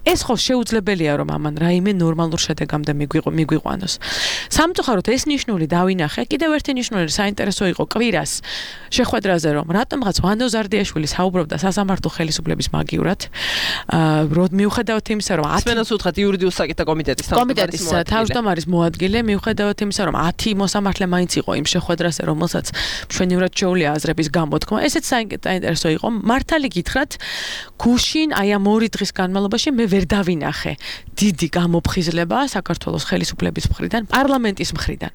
ეს ხო შეუძლებელია, რომ ამან რაიმე ნორმალურ შედეგამდე მიგვიყვანოს. სამწუხაროდ ეს ნიშნული დავინახე, კიდევ ერთი ნიშნული საინტერესო იყო კვირას შეხვედრაზე, რომ რატომღაც ვანდო ზარდიაშვილი საუბრობდა სასამართლო ხელისუფლების მაგივრად, მიუხედავად იმისა, რომ სპენოს უთხრათ იურიდიულ საკითხთა კომიტეტის თავმჯდომარის მოადგილე, მიუხედავად იმისა, რომ 10 მოსამართლე მაინც იყო იმ შეხვედრაზე, რომელსაც მშვენივრად შეუძლია აზრების გამოთქმა. ესეც საინტერესო იყო. მართალი გითხრათ, გუშინ აი ამ 2 დღის განმავლობაში მე ვერ დავინახე დიდი გამოფხიზლება საქართველოს ხელისუფლების მხრიდან, პარლამენტის მხრიდან.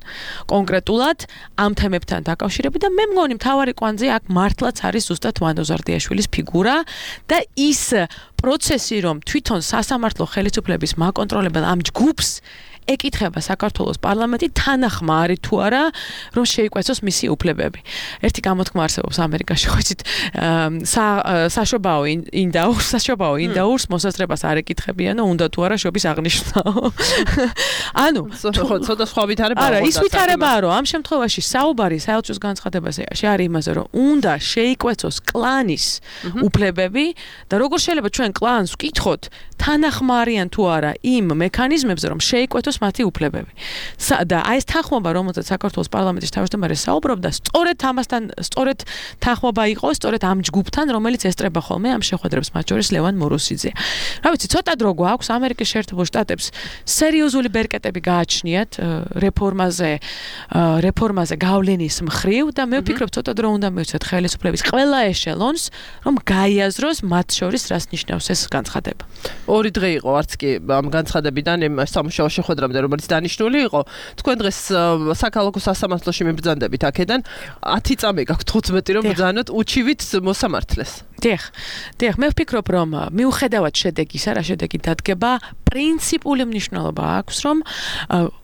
კონკრეტულად ამ თემებთან დაკავშირებით და მე მგონი მთავარი კვანძი აქ მართლაც არის ზუსტად ვანდო ზარდიაშვილის ფიგურა და ის პროცესი, რომ თვითონ სასამართლო ხელისუფლების მაკონტროლებელ ამ ჯგუფს ეკითხება საქართველოს პარლამენტი თანახმა არის თუ არა რომ შეიკვეცოს მისი უფლებები. ერთი გამოთქმა არსებობს ამერიკაში, ხო იცით, საშობაო ინდაურს მოსაზრებას არ ეკითხებიანო, უნდა თუ არა შობის აღნიშვნაო. ანუ ცოტა სხვა ვითარებაა. არა, ის ვითარებაა, რომ ამ შემთხვევაში საუბარი საელჩოს განცხადებაზე არის იმაზე, რომ უნდა შეიკვეცოს კლანის უფლებები და როგორ შეიძლება ჩვენ კლანს ვკითხოთ, თანახმა არიან თუ არა იმ მექანიზმებზე, რომ შეიკვეცოს მათი უფლებები. და აი ეს თანხმობა, რომელზეც საქართველოს პარლამენტის თავმჯდომარე საუბრობდა, სწორედ ამასთან, სწორედ თანხმობა იყო, სწორედ ამ ჯგუფთან, რომელიც ესწრება ხოლმე ამ შეხვედრებს, მათ შორის ლევან მოროსიძე. რა ვიცი, ცოტა დრო გვაქვს ამერიკის შეერთებულ შტატებს სერიოზული ბერკეტები გააჩნიათ რეფორმაზე გავლენის მხრივ და მე ვფიქრობ, ცოტა დრო უნდა მივცეთ ხელისუფლების ყველა ეშელონს, რომ გაიაზროს მათ შორის რას ნიშნავს ეს განცხადება. 2 დღე იყო არც კი ამ განცხადებიდან სამუშაო შეხვედრამდე, რომელიც დანიშნული იყო. თქვენ დღეს საქალაქო სასამართლოში მიბრძანდებით აქედან 10 წამი გაქვთ 15 რომ ბრძანოთ უჩივით მოსამართლეს. დიახ, მე ვფიქრობ, რომ მიუხედავად შედეგისა, რა შედეგი დადგება, პრინციპული მნიშვნელობა აქვს, რომ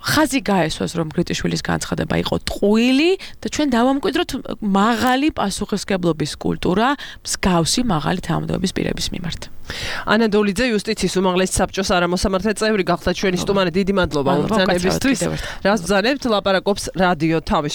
ხაზი გაესვას, რომ გრიტიშვილის განცხადება იყო ტყუილი და ჩვენ დავამკვიდროთ მაღალი პასუხისმგებლობის კულტურა, მსგავსი მაღალი თანამდებობის პირების მიმართ. ანა დოლიძე, იუსტიციის უმაღლესი საბჭოს არამოსამართლე წევრი, გახდა ჩვენი სტუმარი. დიდი მადლობა ბრძანებისთვის. რას ბრძანებთ? ლაპარაკობს რადიო თავისუფლება.